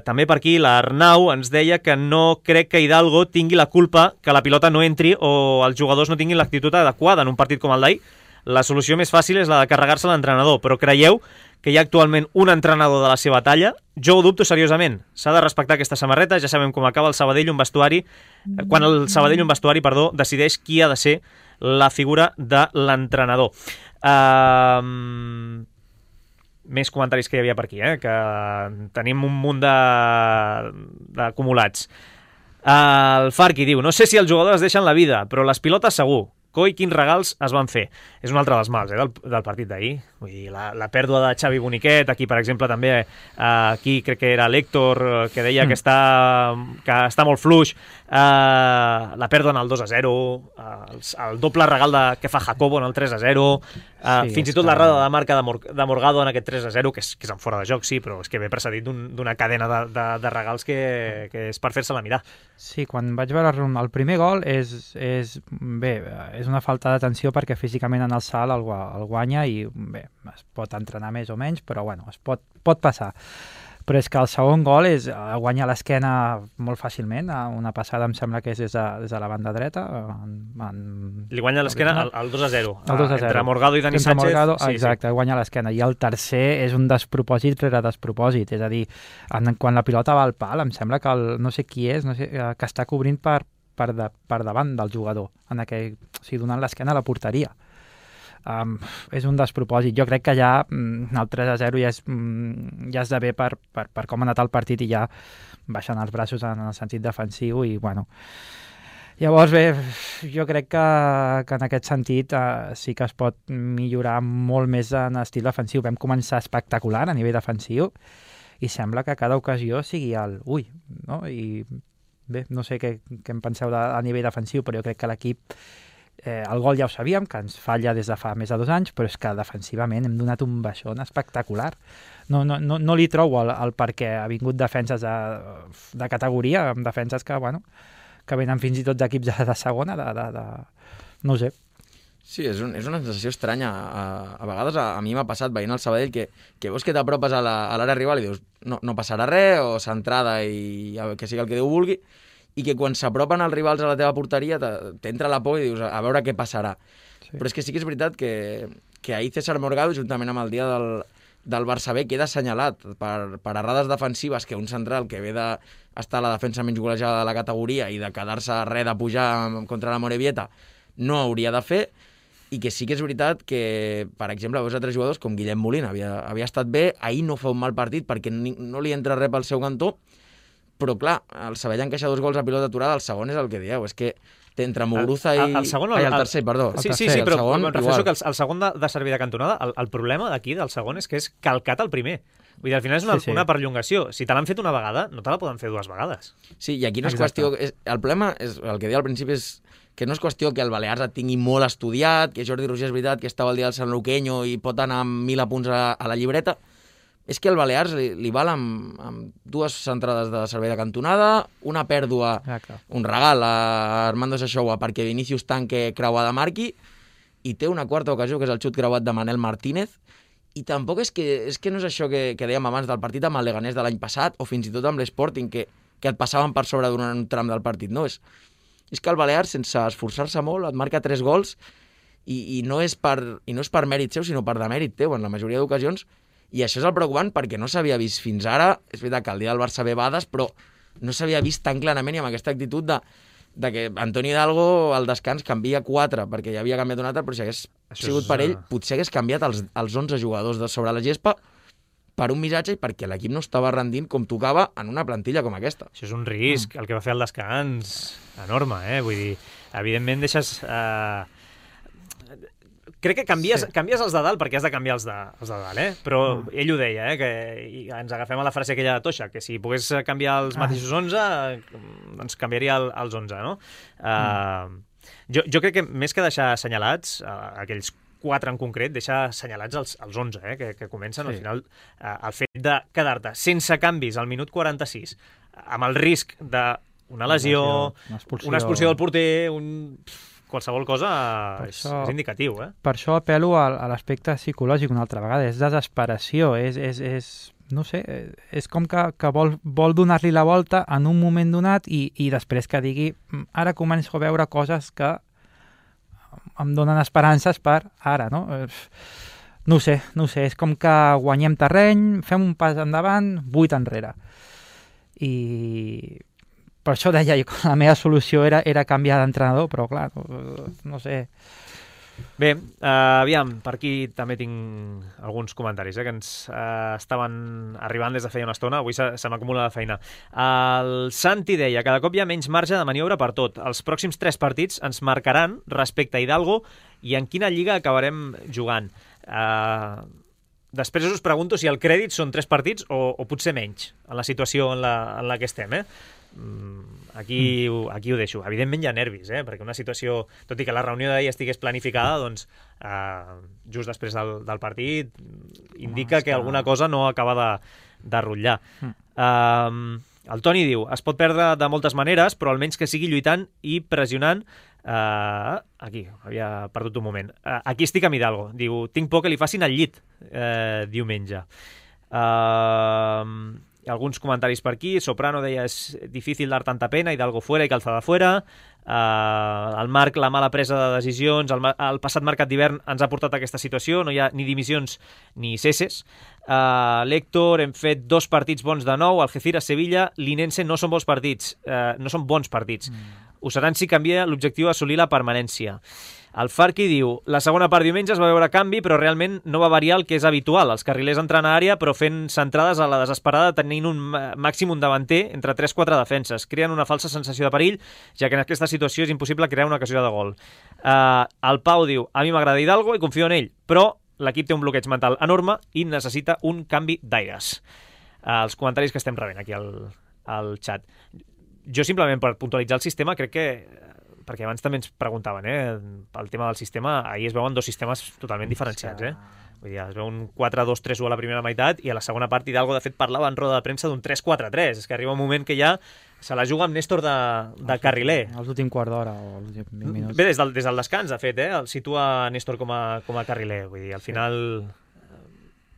També per aquí l'Arnau ens deia que no crec que Hidalgo tingui la culpa que la pilota no entri o els jugadors no tinguin l'actitud adequada en un partit com el d'ahir. la solució més fàcil és la de carregar-se l'entrenador, però creieu que hi ha actualment un entrenador de la seva talla? Jo ho dubto seriosament. S'ha de respectar aquesta samarreta, ja sabem com acaba el Sabadell un vestuari, quan el Sabadell un vestuari, decideix qui ha de ser la figura de l'entrenador. Més comentaris que hi havia per aquí, que tenim un munt d'acumulats. El Farqui diu, no sé si els jugadors deixen la vida, però les pilotes segur. Coi, quins regals es van fer. És un altre dels mals del partit d'ahir. Vull dir, la pèrdua de Xavi Boniquet, aquí, per exemple, també, aquí crec que era l'Héctor, que deia que està molt fluix, la pèrdua en el 2-0, el doble regal que fa Jacobo en el 3-0, fins i tot l'errada de marca de Morgado en aquest 3-0, que és en fora de joc, sí, però és que ve precedit d'una cadena de regals que és per fer-se-la mirar. Sí, quan vaig veure el primer gol és una falta d'atenció perquè físicament en el salt el guanya i bé, es pot entrenar més o menys, però bueno, es pot passar. Però és que el segon gol guanya l'esquena molt fàcilment, una passada em sembla que és des de la banda dreta. Li guanya l'esquena el 2-0. El 2-0. Entre Morgado i Dani Sánchez. Morgado, exacte, guanya l'esquena. I el tercer és un despropòsit rere despropòsit. És a dir, quan la pilota va al pal, em sembla que no sé qui és, que està cobrint per davant del jugador, donant l'esquena a la porteria. És un despropòsit. Jo crec que ja el 3-0 ja esdevé per com ha anat el partit i ja baixen els braços en el sentit defensiu i bueno. Llavors bé, jo crec que en aquest sentit sí que es pot millorar molt més en estil defensiu. Vam començar espectacular a nivell defensiu i sembla que cada ocasió sigui no? I bé, no sé què en penseu a nivell defensiu, però jo crec que l'equip el gol ja ho sabíem, que ens falla des de fa més de 2 anys, però és que defensivament hem donat un baixón espectacular. No li trobo el perquè ha vingut defenses de categoria, amb defenses que venen fins i tot d'equips de segona, no ho sé. Sí, és una sensació estranya. A vegades a mi m'ha passat veient el Sabadell que veus que t'apropes a l'àrea rival i dius no passarà res, o centrada i que sigui el que Déu vulgui, i que quan s'apropen els rivals a la teva porteria t'entra la por i dius a veure què passarà. Sí. Però és que sí que és veritat que ahir César Morgado, juntament amb el dia del Barça B, queda assenyalat per errades defensives que un central que ve d'estar a la defensa menys golejada de la categoria i de quedar-se res de pujar contra la Morevieta no hauria de fer, i que sí que és veritat que, per exemple, veus altres jugadors com Guillem Molina, havia estat bé, ahir no fa un mal partit perquè no li entra res pel seu cantó, però clar, el Sabadell encaixa 2 gols a pilota aturada, el segon és el que dieu, és que entre Muguruza i... El tercer, perdó. Sí, però em refereixo que el segon de servir de cantonada, el problema d'aquí del segon és que és calcat el primer. Vull dir, al final és una perllongació. Si te l'han fet una vegada, no te la poden fer 2 vegades. Sí, i aquí no és qüestió... El problema, el que deia al principi, és que no és qüestió que el Balears et tingui molt estudiat, que Jordi Roger és veritat que estava el dia del Sant Luqueño i pot anar amb 1.000 apunts a la llibreta. És que el Balears li val amb 2 centrades de servei de cantonada, una pèrdua, un regal a Armando Sachoa perquè Vinicius tanque creuada marqui, i té una quarta ocasió, que és el xut creuat de Manel Martínez, i tampoc és que no és això que dèiem abans del partit amb el Leganés de l'any passat, o fins i tot amb l'Sporting, que et passaven per sobre durant un tram del partit. No, és que el Balears, sense esforçar-se molt, et marca 3 gols, i no és per mèrit seu, sinó per demèrit teu, en la majoria d'ocasions. I això és el preocupant perquè no s'havia vist fins ara, és veritat que el dia del Barça ve bades, però no s'havia vist tan clarament i amb aquesta actitud de que Antoni Hidalgo al descans canvia 4 perquè ja havia canviat un altre, però si hagués sigut per ell, potser hagués canviat els 11 jugadors de sobre la gespa per un missatge i perquè l'equip no estava rendint com tocava en una plantilla com aquesta. Això és un risc, el que va fer al descans, enorme, Vull dir, evidentment deixes... Crec que canvies els de dalt perquè has de canviar els de dalt, però ell ho deia, que ens agafem a la frase aquella de Toixa, que si pogués canviar els mateixos 11, doncs canviaria els 11, no? Jo crec que més que deixar assenyalats, aquells 4 en concret, deixar assenyalats els 11, que comencen al final. El fet de quedar-te sense canvis al minut 46, amb el risc d'una lesió, una expulsió del porter, qualsevol cosa és indicatiu, Per això apel·lo a l'aspecte psicològic una altra vegada. És desesperació, no sé, és com que vol donar-li la volta en un moment donat i després que digui ara començo a veure coses que em donen esperances per ara, no? No ho sé, és com que guanyem terreny, fem un pas endavant, 8 enrere. I per això deia que la meva solució era canviar d'entrenador, però clar, no sé. Bé, aviam, per aquí també tinc alguns comentaris que ens estaven arribant des de feia una estona. Avui se m'acumula la feina. El Santi deia: cada cop hi ha menys marge de maniobra per tot. Els pròxims 3 partits ens marcaran respecte a Hidalgo i en quina lliga acabarem jugant. Després us pregunto si el crèdit són 3 partits o potser menys, en la situació en la que estem, Aquí ho deixo. Evidentment hi ha nervis, perquè una situació, tot i que la reunió d'ahir estigués planificada, doncs just després del partit indica que alguna cosa no acaba de rotllar. El Toni diu: es pot perdre de moltes maneres, però almenys que sigui lluitant i pressionant. Aquí, havia perdut un moment. Aquí estic amb Hidalgo. Diu: tinc por que li facin el llit diumenge. Alguns comentaris per aquí. Soprano deia: és difícil dar tanta pena, Hidalgo fuera i Calzada fuera. El Marc: la mala presa de decisions, el passat mercat d'hivern ens ha portat a aquesta situació, no hi ha ni dimissions ni cesses. L'Héctor: hem fet 2 partits bons de nou, Algeciras-Sevilla, l'Inense no són bons partits, ho seran si canvia l'objectiu d'assolir la permanència. El Farqui diu: la segona part diumenge es va veure canvi, però realment no va variar el que és habitual. Els carrilers entrant a àrea, però fent centrades a la desesperada, tenint un màxim davanter entre 3-4 defenses. Creen una falsa sensació de perill, ja que en aquesta situació és impossible crear una ocasió de gol. El Pau diu: a mi m'agrada Hidalgo i confio en ell, però l'equip té un bloqueig mental enorme i necessita un canvi d'aires. Els comentaris que estem rebent aquí al xat. Jo simplement per puntualitzar el sistema crec que, perquè abans també ens preguntaven pel tema del sistema, ahir es veuen 2 sistemes totalment diferenciats. Vull dir, es veu un 4-2-3-1 a la primera meitat i a la segona part Hidalgo de fet parlava en roda de premsa d'un 3-4-3. És que arriba un moment que ja se la juga amb Néstor de carriler. Els últims quart d'hora o els últims 20 minuts. Bé, des del descans, de fet, el situa Néstor com a carriler. Vull dir, al final...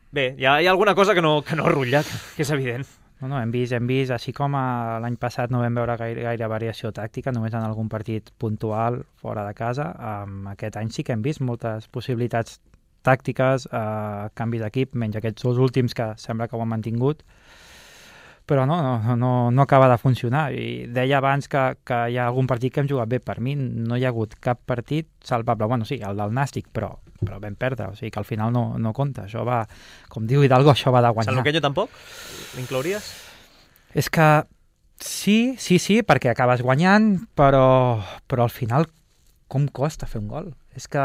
Bé, hi ha alguna cosa que no rutlla, que és evident. No, hem vist, així com l'any passat no vam veure gaire variació tàctica, només en algun partit puntual fora de casa. Aquest any sí que hem vist moltes possibilitats tàctiques, canvis d'equip, menys aquests 2 últims que sembla que ho han mantingut, però no acaba de funcionar. I deia abans que hi ha algun partit que hem jugat bé. Per mi no hi ha hagut cap partit salvable. Bueno, sí, el del Nàstic, però vam perdre, o sigui que al final no compta. Això va, com diu Hidalgo, això va de guanyar. Sant Luqueño tampoc? L'inclouries? És que sí, perquè acabes guanyant, però al final com costa fer un gol? És que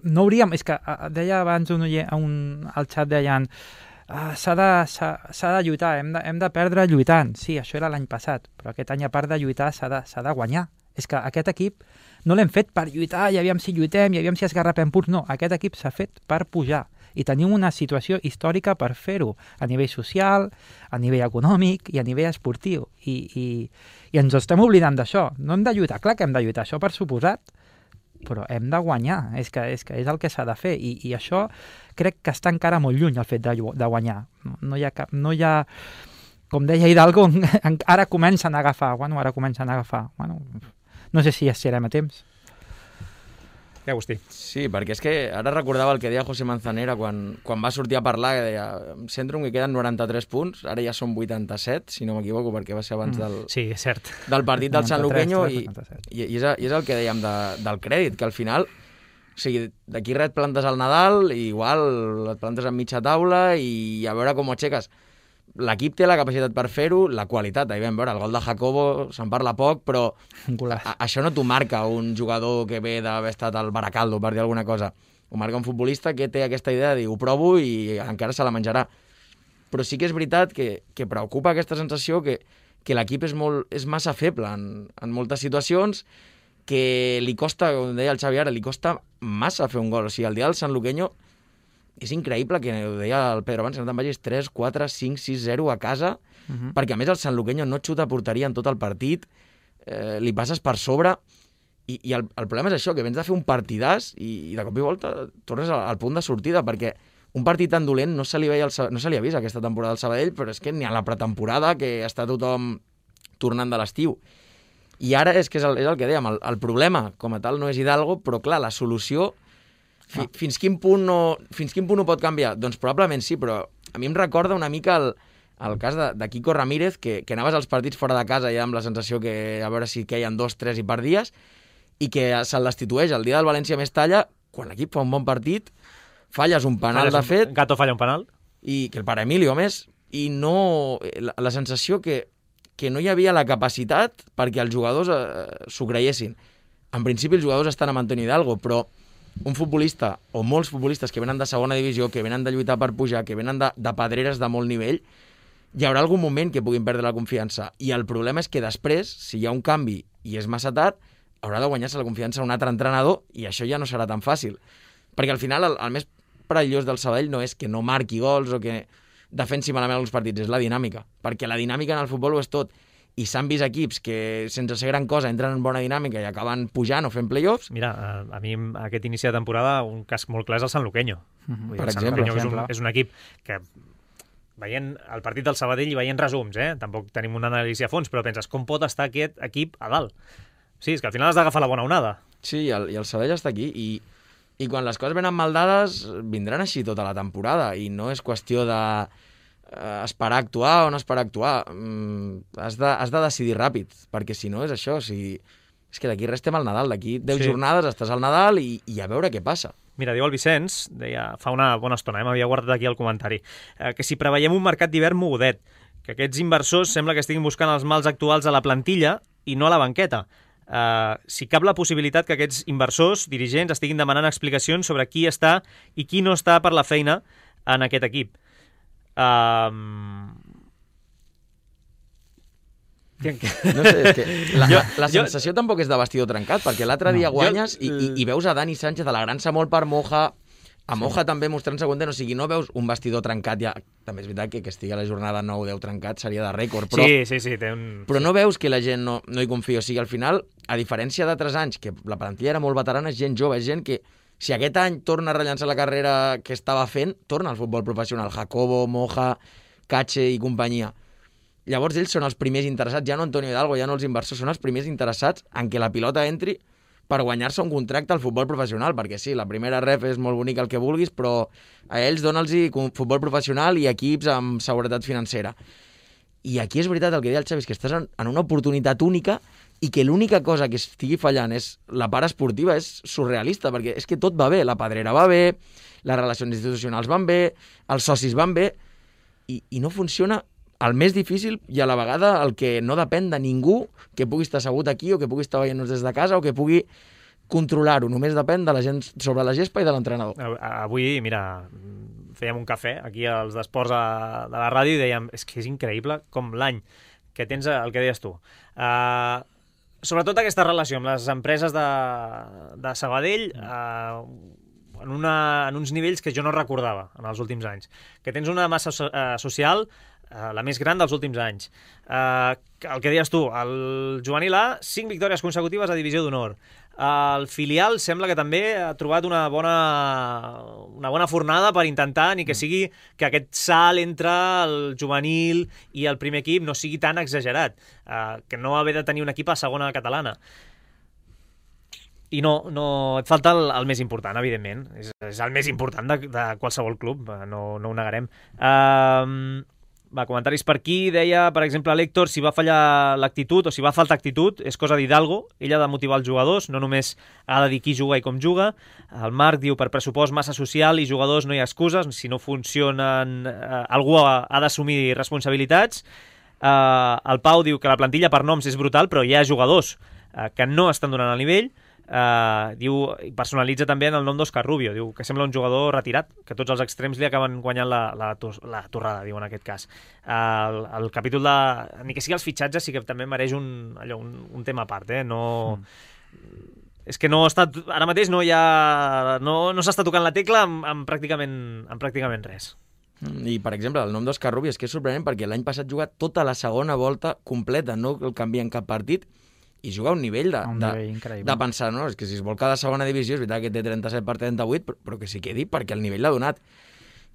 no hauríem... És que deia abans al xat deien s'ha de lluitar, hem de perdre lluitant. Sí, això era l'any passat, però aquest any, a part de lluitar, s'ha de guanyar. És que aquest equip no l'hem fet per lluitar, i aviam si lluitem, i aviam si esgarrapem punts. No, aquest equip s'ha fet per pujar. I tenim una situació històrica per fer-ho, a nivell social, a nivell econòmic i a nivell esportiu. I ens estem oblidant d'això. No hem de lluitar, clar que hem de lluitar, això per suposat, però hem de guanyar, és que és el que s'ha de fer, i això crec que està encara molt lluny, el fet de guanyar. No hi ha, com deia Hidalgo, ara comencen a agafar. No sé si estarem a temps. Agustí. Sí, perquè és que ara recordava el que deia José Manzanera quan va sortir a parlar, que deia: em centro en que queden 93 punts, ara ja són 87, si no m'equivoco, perquè va ser abans sí, és cert, del partit del Sant Luqueño, i és el que dèiem del crèdit, que al final, o sigui, d'aquí res et plantes al Nadal, i igual et plantes en mitja taula i a veure com ho aixeques. L'equip té la capacitat per fer-ho, la qualitat, ahir vam veure el gol de Jacobo, se'n parla poc, però això no t'ho marca un jugador que ve d'haver estat al Baracaldo, per dir alguna cosa. Ho marca un futbolista que té aquesta idea de dir, ho provo i encara se la menjarà. Però sí que és veritat que preocupa aquesta sensació que l'equip és massa feble en moltes situacions, que li costa, com deia el Xavi ara, li costa massa fer un gol. O sigui, el dia del Sant Luqueño és increïble, que ho deia el Pedro abans, que no te'n vagis 3, 4, 5, 6, 0 a casa, perquè a més el Sant Luqueño no xuta a porteria en tot el partit, li passes per sobre, i el problema és això, que vens de fer un partidàs i de cop i volta tornes al punt de sortida, perquè un partit tan dolent no se li ha vist aquesta temporada al Sabadell, però és que ni a la pretemporada, que està tothom tornant de l'estiu. I ara és que és el que dèiem, el problema com a tal no és Hidalgo, però clar, la solució fins quin punt ho pot canviar? Doncs probablement sí, però a mi em recorda una mica el cas de Quico Ramírez, que anaves als partits fora de casa ja amb la sensació que a veure si queien 2, 3 i perdies, i que se'l destitueix el dia del València-Mestalla, quan l'equip fa un bon partit, falles un penal de fet... Gato falla un penal. I que el pare Emilio, a més, i no... La sensació que no hi havia la capacitat perquè els jugadors s'ho creiessin. En principi els jugadors estan amb Antonio Hidalgo, però un futbolista, o molts futbolistes que venen de segona divisió, que venen de lluitar per pujar, que venen de pedreres de molt nivell, hi haurà algun moment que puguin perdre la confiança. I el problema és que després, si hi ha un canvi i és massa tard, haurà de guanyar-se la confiança un altre entrenador i això ja no serà tan fàcil. Perquè al final el més perillós del Sabadell no és que no marqui gols o que defensi malament alguns partits, és la dinàmica. Perquè la dinàmica en el futbol ho és tot. I s'han vist equips que, sense ser gran cosa, entren en bona dinàmica i acaben pujant o fent play-offs. Mira, a mi aquest inici de temporada un cas molt clar és el Sanluqueño. Per exemple. És un equip que, veient el partit del Sabadell i veient resums, tampoc tenim una anàlisi a fons, però penses, com pot estar aquest equip a dalt? Sí, és que al final has d'agafar la bona onada. Sí, i el Sabadell està aquí i quan les coses venen mal dades vindran així tota la temporada i no és qüestió de esperar a actuar o no esperar a actuar. Has de decidir ràpid, perquè si no és això, és que d'aquí res estem al Nadal, d'aquí 10 jornades estàs al Nadal i a veure què passa. Mira, diu el Vicenç, deia fa una bona estona, m'havia guardat aquí el comentari, que si preveiem un mercat d'hivern mogudet, que aquests inversors sembla que estiguin buscant els mals actuals a la plantilla i no a la banqueta. Si cap la possibilitat que aquests inversors, dirigents, estiguin demanant explicacions sobre qui està i qui no està per la feina en aquest equip. No sé, és que la sensació tampoc és de vestidor trencat, perquè l'altre dia guanyes i veus a Dani Sánchez alegrant-se molt per Moja, a Moja també mostrant-se content, o sigui, no veus un vestidor trencat ja. També és veritat que estigui a la jornada 9-10 trencat seria de rècord, però, però no veus que la gent no hi confia. O sigui, al final, a diferència d'altres anys, que la plantilla era molt veterana, és gent jove, és gent que si aquest any torna a rellançar la carrera que estava fent, torna al futbol professional. Jacobo, Moja, Cache i companyia. Llavors ells són els primers interessats, ja no Antonio Hidalgo, ja no els inversors, són els primers interessats en que la pilota entri per guanyar-se un contracte al futbol professional, perquè sí, la primera ref és molt bonica el que vulguis, però a ells dona'ls-hi futbol professional i equips amb seguretat financera. I aquí és veritat el que deia el Xavi, és que estàs en una oportunitat única i que l'única cosa que estigui fallant és la part esportiva, és surrealista, perquè és que tot va bé, la pedrera va bé, les relacions institucionals van bé, els socis van bé, i no funciona el més difícil i a la vegada el que no depèn de ningú que pugui estar assegut aquí o que pugui estar veient-nos des de casa o que pugui controlar-ho. Només depèn de la gent sobre la gespa i de l'entrenador. Avui, mira, fèiem un cafè aquí als d'Esports de la ràdio i dèiem, és que és increïble com l'any que tens el que deies tu. Sobretot aquesta relació amb les empreses de Sabadell en uns nivells que jo no recordava en els últims anys. Que tens una massa social la més gran dels últims anys. El que deies tu, el juvenil A, 5 victòries consecutives a Divisió d'Honor. El filial sembla que també ha trobat una bona fornada per intentar ni que sigui que aquest salt entre el juvenil i el primer equip no sigui tan exagerat, que no haver de tenir un equip a segona catalana. I no, et falta el més important, evidentment. És el més important de qualsevol club, no ho negarem. Comentaris per aquí, deia, per exemple, l'Héctor, si va fallar l'actitud o si va faltar actitud, és cosa d'Hidalgo, ell ha de motivar els jugadors, no només ha de dir qui juga i com juga. El Marc diu, per pressupost massa social i jugadors no hi ha excuses, si no funcionen, algú ha d'assumir responsabilitats. El Pau diu que la plantilla per noms és brutal, però hi ha jugadors que no estan donant el nivell. Diu, personalitza també en el nom d'Òscar Rubio, diu que sembla un jugador retirat, que tots els extrems li acaben guanyant la torrada, diu en aquest cas. El capítol de... ni que sigui els fitxatges sí que també mereix un tema a part, És que no està, ara mateix no s'està tocant la tecla amb pràcticament res. I, per exemple, el nom d'Òscar Rubio és que és sorprenent perquè l'any passat jugat tota la segona volta completa, no el canvia en cap partit, i juga a un nivell de pensar, no? És que si es vol cada segona divisió, és veritat que té 37 per 38, però que s'hi quedi perquè el nivell l'ha donat.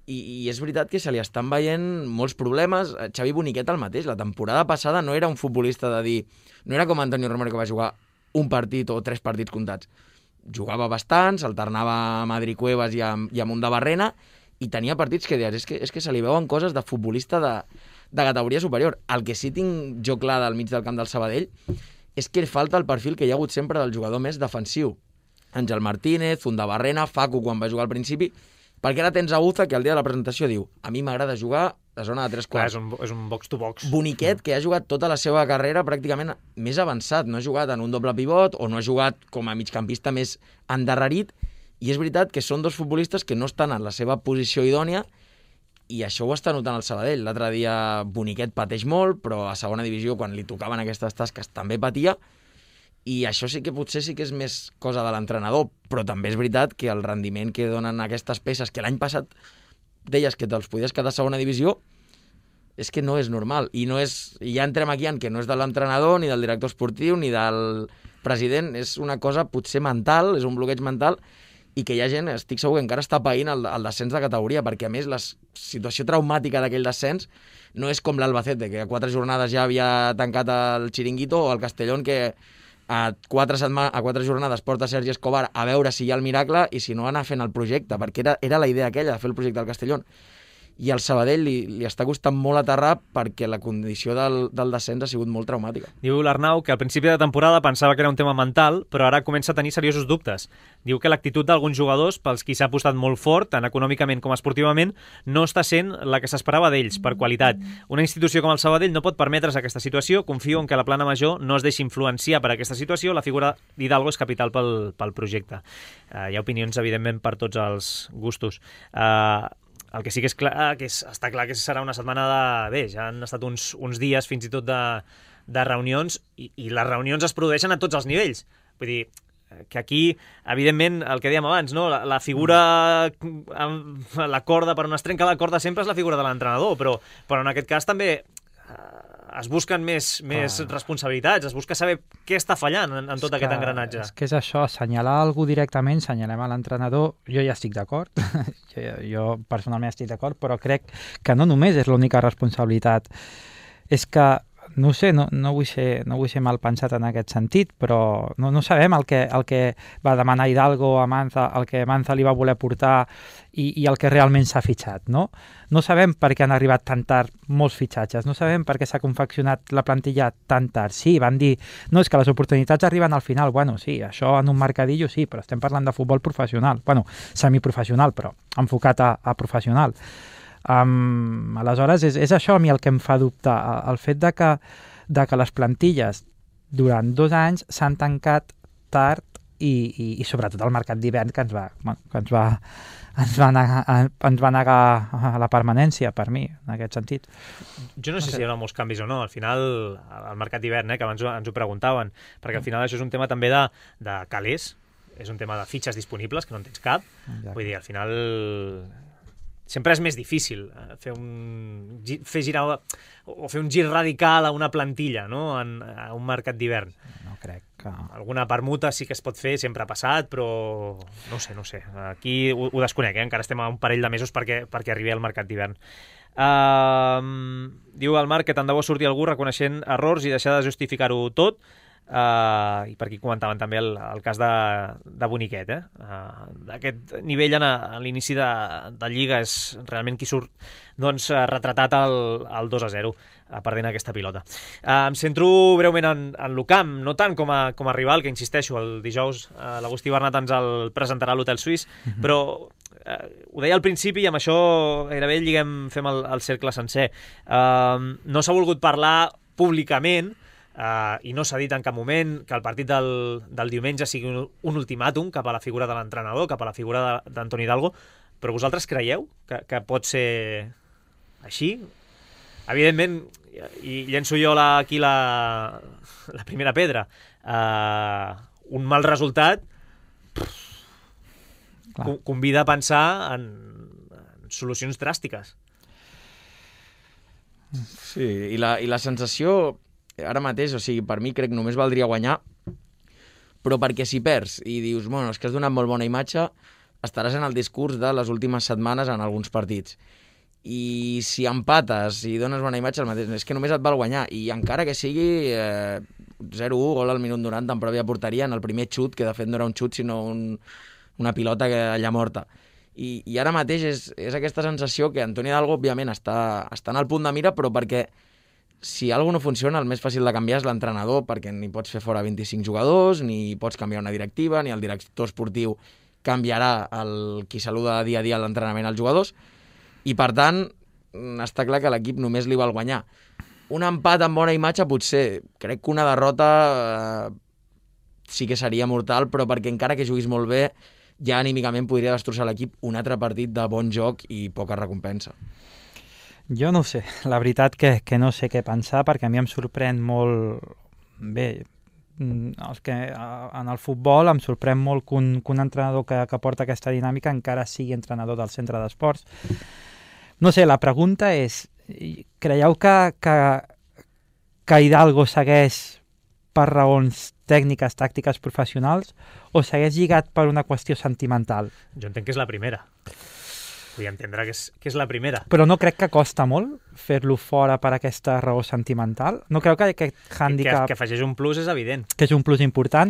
i és veritat que se li estan veient molts problemes. Xavi Boniquet el mateix, la temporada passada no era un futbolista de dir... No era com Antonio Romero, que va jugar un partit o 3 partits comptats. Jugava bastants, alternava a Madrid Cuevas i a Mundabarrena, i tenia partits que deies, és que se li veuen coses de futbolista de categoria superior. El que sí tinc jo clar del mig del camp del Sabadell és que falta el perfil que hi ha hagut sempre del jugador més defensiu. Àngel Martínez, Mundabarrena, Facu quan va jugar al principi, perquè ara tens Aguza que el dia de la presentació diu a mi m'agrada jugar a zona de 3 quarts. És un box-to-box. Boniquet, que ha jugat tota la seva carrera pràcticament més avançat, no ha jugat en un doble pivot o no ha jugat com a migcampista més endarrerit, i és veritat que són 2 futbolistes que no estan en la seva posició idònia, i això ho està notant el Sabadell. L'altre dia Boniquet pateix molt, però a segona divisió, quan li tocaven aquestes tasques, també patia, i això sí que potser sí que és més cosa de l'entrenador, però també és veritat que el rendiment que donen aquestes peces, que l'any passat deies que te'ls podies quedar a segona divisió, és que no és normal. I ja entrem aquí en que no és de l'entrenador, ni del director esportiu, ni del president, és una cosa potser mental, és un bloqueig mental, i que hi ha gent, estic segur que encara està païnt el descens de categoria, perquè a més la situació traumàtica d'aquell descens no és com l'Albacete, que a 4 jornades ja havia tancat el xiringuito, o el Castellón, que a 4 jornades porta Sergi Escobar a veure si hi ha el miracle i si no anar fent el projecte, perquè era la idea aquella de fer el projecte del Castellón. I al Sabadell li està costant molt aterrar perquè la condició del descens ha sigut molt traumàtica. Diu l'Arnau que al principi de temporada pensava que era un tema mental, però ara comença a tenir seriosos dubtes. Diu que l'actitud d'alguns jugadors, pels qui s'ha apostat molt fort, tant econòmicament com esportivament, no està sent la que s'esperava d'ells, per qualitat. Una institució com el Sabadell no pot permetre's aquesta situació. Confio en que la plana major no es deixi influenciar per aquesta situació. La figura d'Hidalgo és capital pel projecte. Hi ha opinions, evidentment, per tots els gustos. El que sí que és clar, està clar que serà una setmana ja han estat uns dies fins i tot de reunions, i les reunions es produeixen a tots els nivells. Vull dir, que aquí, evidentment, el que dèiem abans, no? La figura, la corda, per on es trenca la corda sempre és la figura de l'entrenador, però en aquest cas també es busquen més responsabilitats, es busca saber què està fallant en tot aquest engranatge. És que és això, assenyalar algú directament, assenyalem a l'entrenador, jo ja estic d'acord, jo personalment estic d'acord, però crec que no només és l'única responsabilitat, és que no sé, no vull ser mal pensat en aquest sentit, però no sabem el que va demanar Hidalgo a Manza, el que Manza li va voler portar i el que realment s'ha fitxat, no? No sabem per què han arribat tan tard molts fitxatges, no sabem per què s'ha confeccionat la plantilla tan tard. Sí, van dir, no, és que les oportunitats arriben al final. Bueno, sí, això en un mercadillo sí, però estem parlant de futbol professional, bueno, semiprofessional, però enfocat a professional. Aleshores, és això a mi el que em fa dubtar, el fet de que les plantilles durant 2 anys s'han tancat tard i sobretot el mercat d'hivern que ens va negar la permanència, per mi, en aquest sentit. Jo no sé si hi haurà molts canvis o no. Al final, el mercat d'hivern, que abans ens ho preguntaven, perquè al final això és un tema també de calés, és un tema de fitxes disponibles, que no en tens cap. Vull dir, al final sempre és més difícil fer girar o fer un gir radical a una plantilla, no? A un mercat d'hivern. No crec que... Alguna permuta sí que es pot fer, sempre ha passat, però no sé. Aquí ho desconec, encara estem a un parell de mesos perquè arribi al mercat d'hivern. Diu el Marc que tant de bo surti algú reconeixent errors i deixar de justificar-ho tot. I per aquí comentaven també el cas de Boniquet, d'aquest nivell a l'inici de Lliga és realment qui surt retratat al 2-0 perdent aquesta pilota. Em centro breument en l'Ucamp, no tant com a rival, que insisteixo, el dijous l'Agustí Bernat ens el presentarà a l'Hotel Suís, però ho deia al principi i amb això gairebé fem el cercle sencer. No s'ha volgut parlar públicament i no s'ha dit en cap moment que el partit del diumenge sigui un ultimàtum cap a la figura de l'entrenador, cap a la figura d'Antoni Hidalgo, però vosaltres creieu que pot ser així? Evidentment, i llenço jo aquí la primera pedra, un mal resultat convida a pensar en solucions dràstiques. Sí, i la sensació ara mateix, o sigui, per mi crec que només valdria guanyar, però perquè si perds i dius, bueno, és que has donat molt bona imatge, estaràs en el discurs de les últimes setmanes en alguns partits. I si empates i dones bona imatge, el mateix, és que només et val guanyar. I encara que sigui 0-1, gol al minut 90 en pròpia porteria, en el primer xut, que de fet no era un xut, sinó una pilota allà morta. I ara mateix és aquesta sensació que Antoni Hidalgo, òbviament, està en el punt de mira, però perquè si alguna no funciona, el més fàcil de canviar és l'entrenador, perquè ni pots fer fora 25 jugadors, ni pots canviar una directiva, ni el director esportiu canviarà qui saluda dia a dia a l'entrenament als jugadors, i per tant està clar que a l'equip només li val guanyar. Un empat amb bona imatge potser, crec que una derrota sí que seria mortal, però perquè encara que juguis molt bé, ja anímicament podria destrossar l'equip un altre partit de bon joc i poca recompensa. Jo no ho sé, la veritat que no sé què pensar, perquè a mi em sorprèn molt... Bé, en el futbol em sorprèn molt que un entrenador que porta aquesta dinàmica encara sigui entrenador del centre d'esports. No sé, la pregunta és, creieu que Hidalgo segueix per raons tècniques, tàctiques, professionals, o segueix lligat per una qüestió sentimental? Jo entenc que és la primera. Vull entendre que és la primera. Però no crec que costa molt fer-lo fora per aquesta raó sentimental? No creu que aquest hàndicap... Que afegeix un plus és evident. Que és un plus important.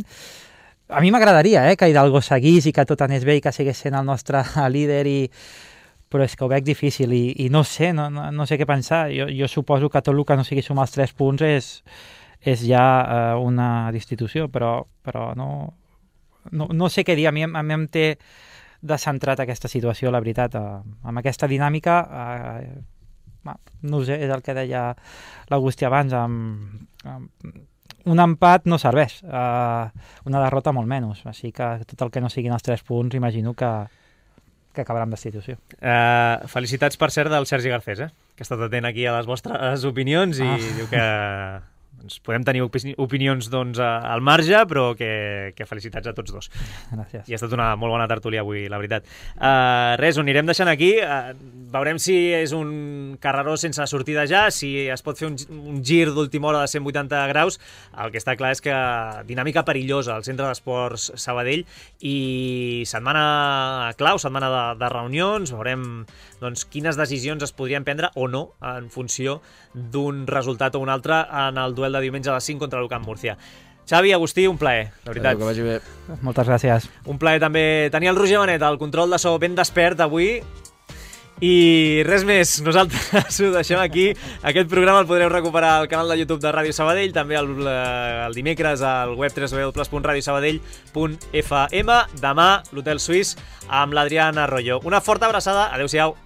A mi m'agradaria que Hidalgo seguís i que tot anés bé i que seguís sent el nostre líder, però és que ho veig difícil i no sé, no sé què pensar. Jo suposo que tot el que no sigui sumar els 3 punts és ja una destitució, però no sé què dir. A mi em té descentrat aquesta situació, la veritat. Amb aquesta dinàmica, no sé, és el que deia l'Agustí abans, un empat no serveix, una derrota molt menys, així que tot el que no siguin els 3 punts imagino que acabarà amb destitució. Felicitats, per cert, del Sergi Garcés, que ha estat atent aquí a les vostres opinions i diu que podem tenir opinions al marge, però que felicitats a tots dos. Gràcies. I ha estat una molt bona tertúlia avui, la veritat. Res, ho anirem deixant aquí. Veurem si és un carreró sense sortida ja, si es pot fer un gir d'última hora de 180 graus. El que està clar és que dinàmica perillosa al Centre d'Esports Sabadell i setmana clau, setmana de reunions. Veurem quines decisions es podrien prendre o no en funció d'un resultat o un altre en el duel de diumenge a les 5 contra l'Ucamp Múrcia. Xavi, Agustí, un plaer, de veritat. Que vagi bé. Moltes gràcies. Un plaer també tenir el Roger Benet, el control de so ben despert avui. I res més, nosaltres ho deixem aquí. Aquest programa el podreu recuperar al canal de YouTube de Ràdio Sabadell, també el dimecres al web www.radiosabadell.fm. Demà, l'Hotel Suís amb l'Adrián Arroyo. Una forta abraçada, adeu-siau.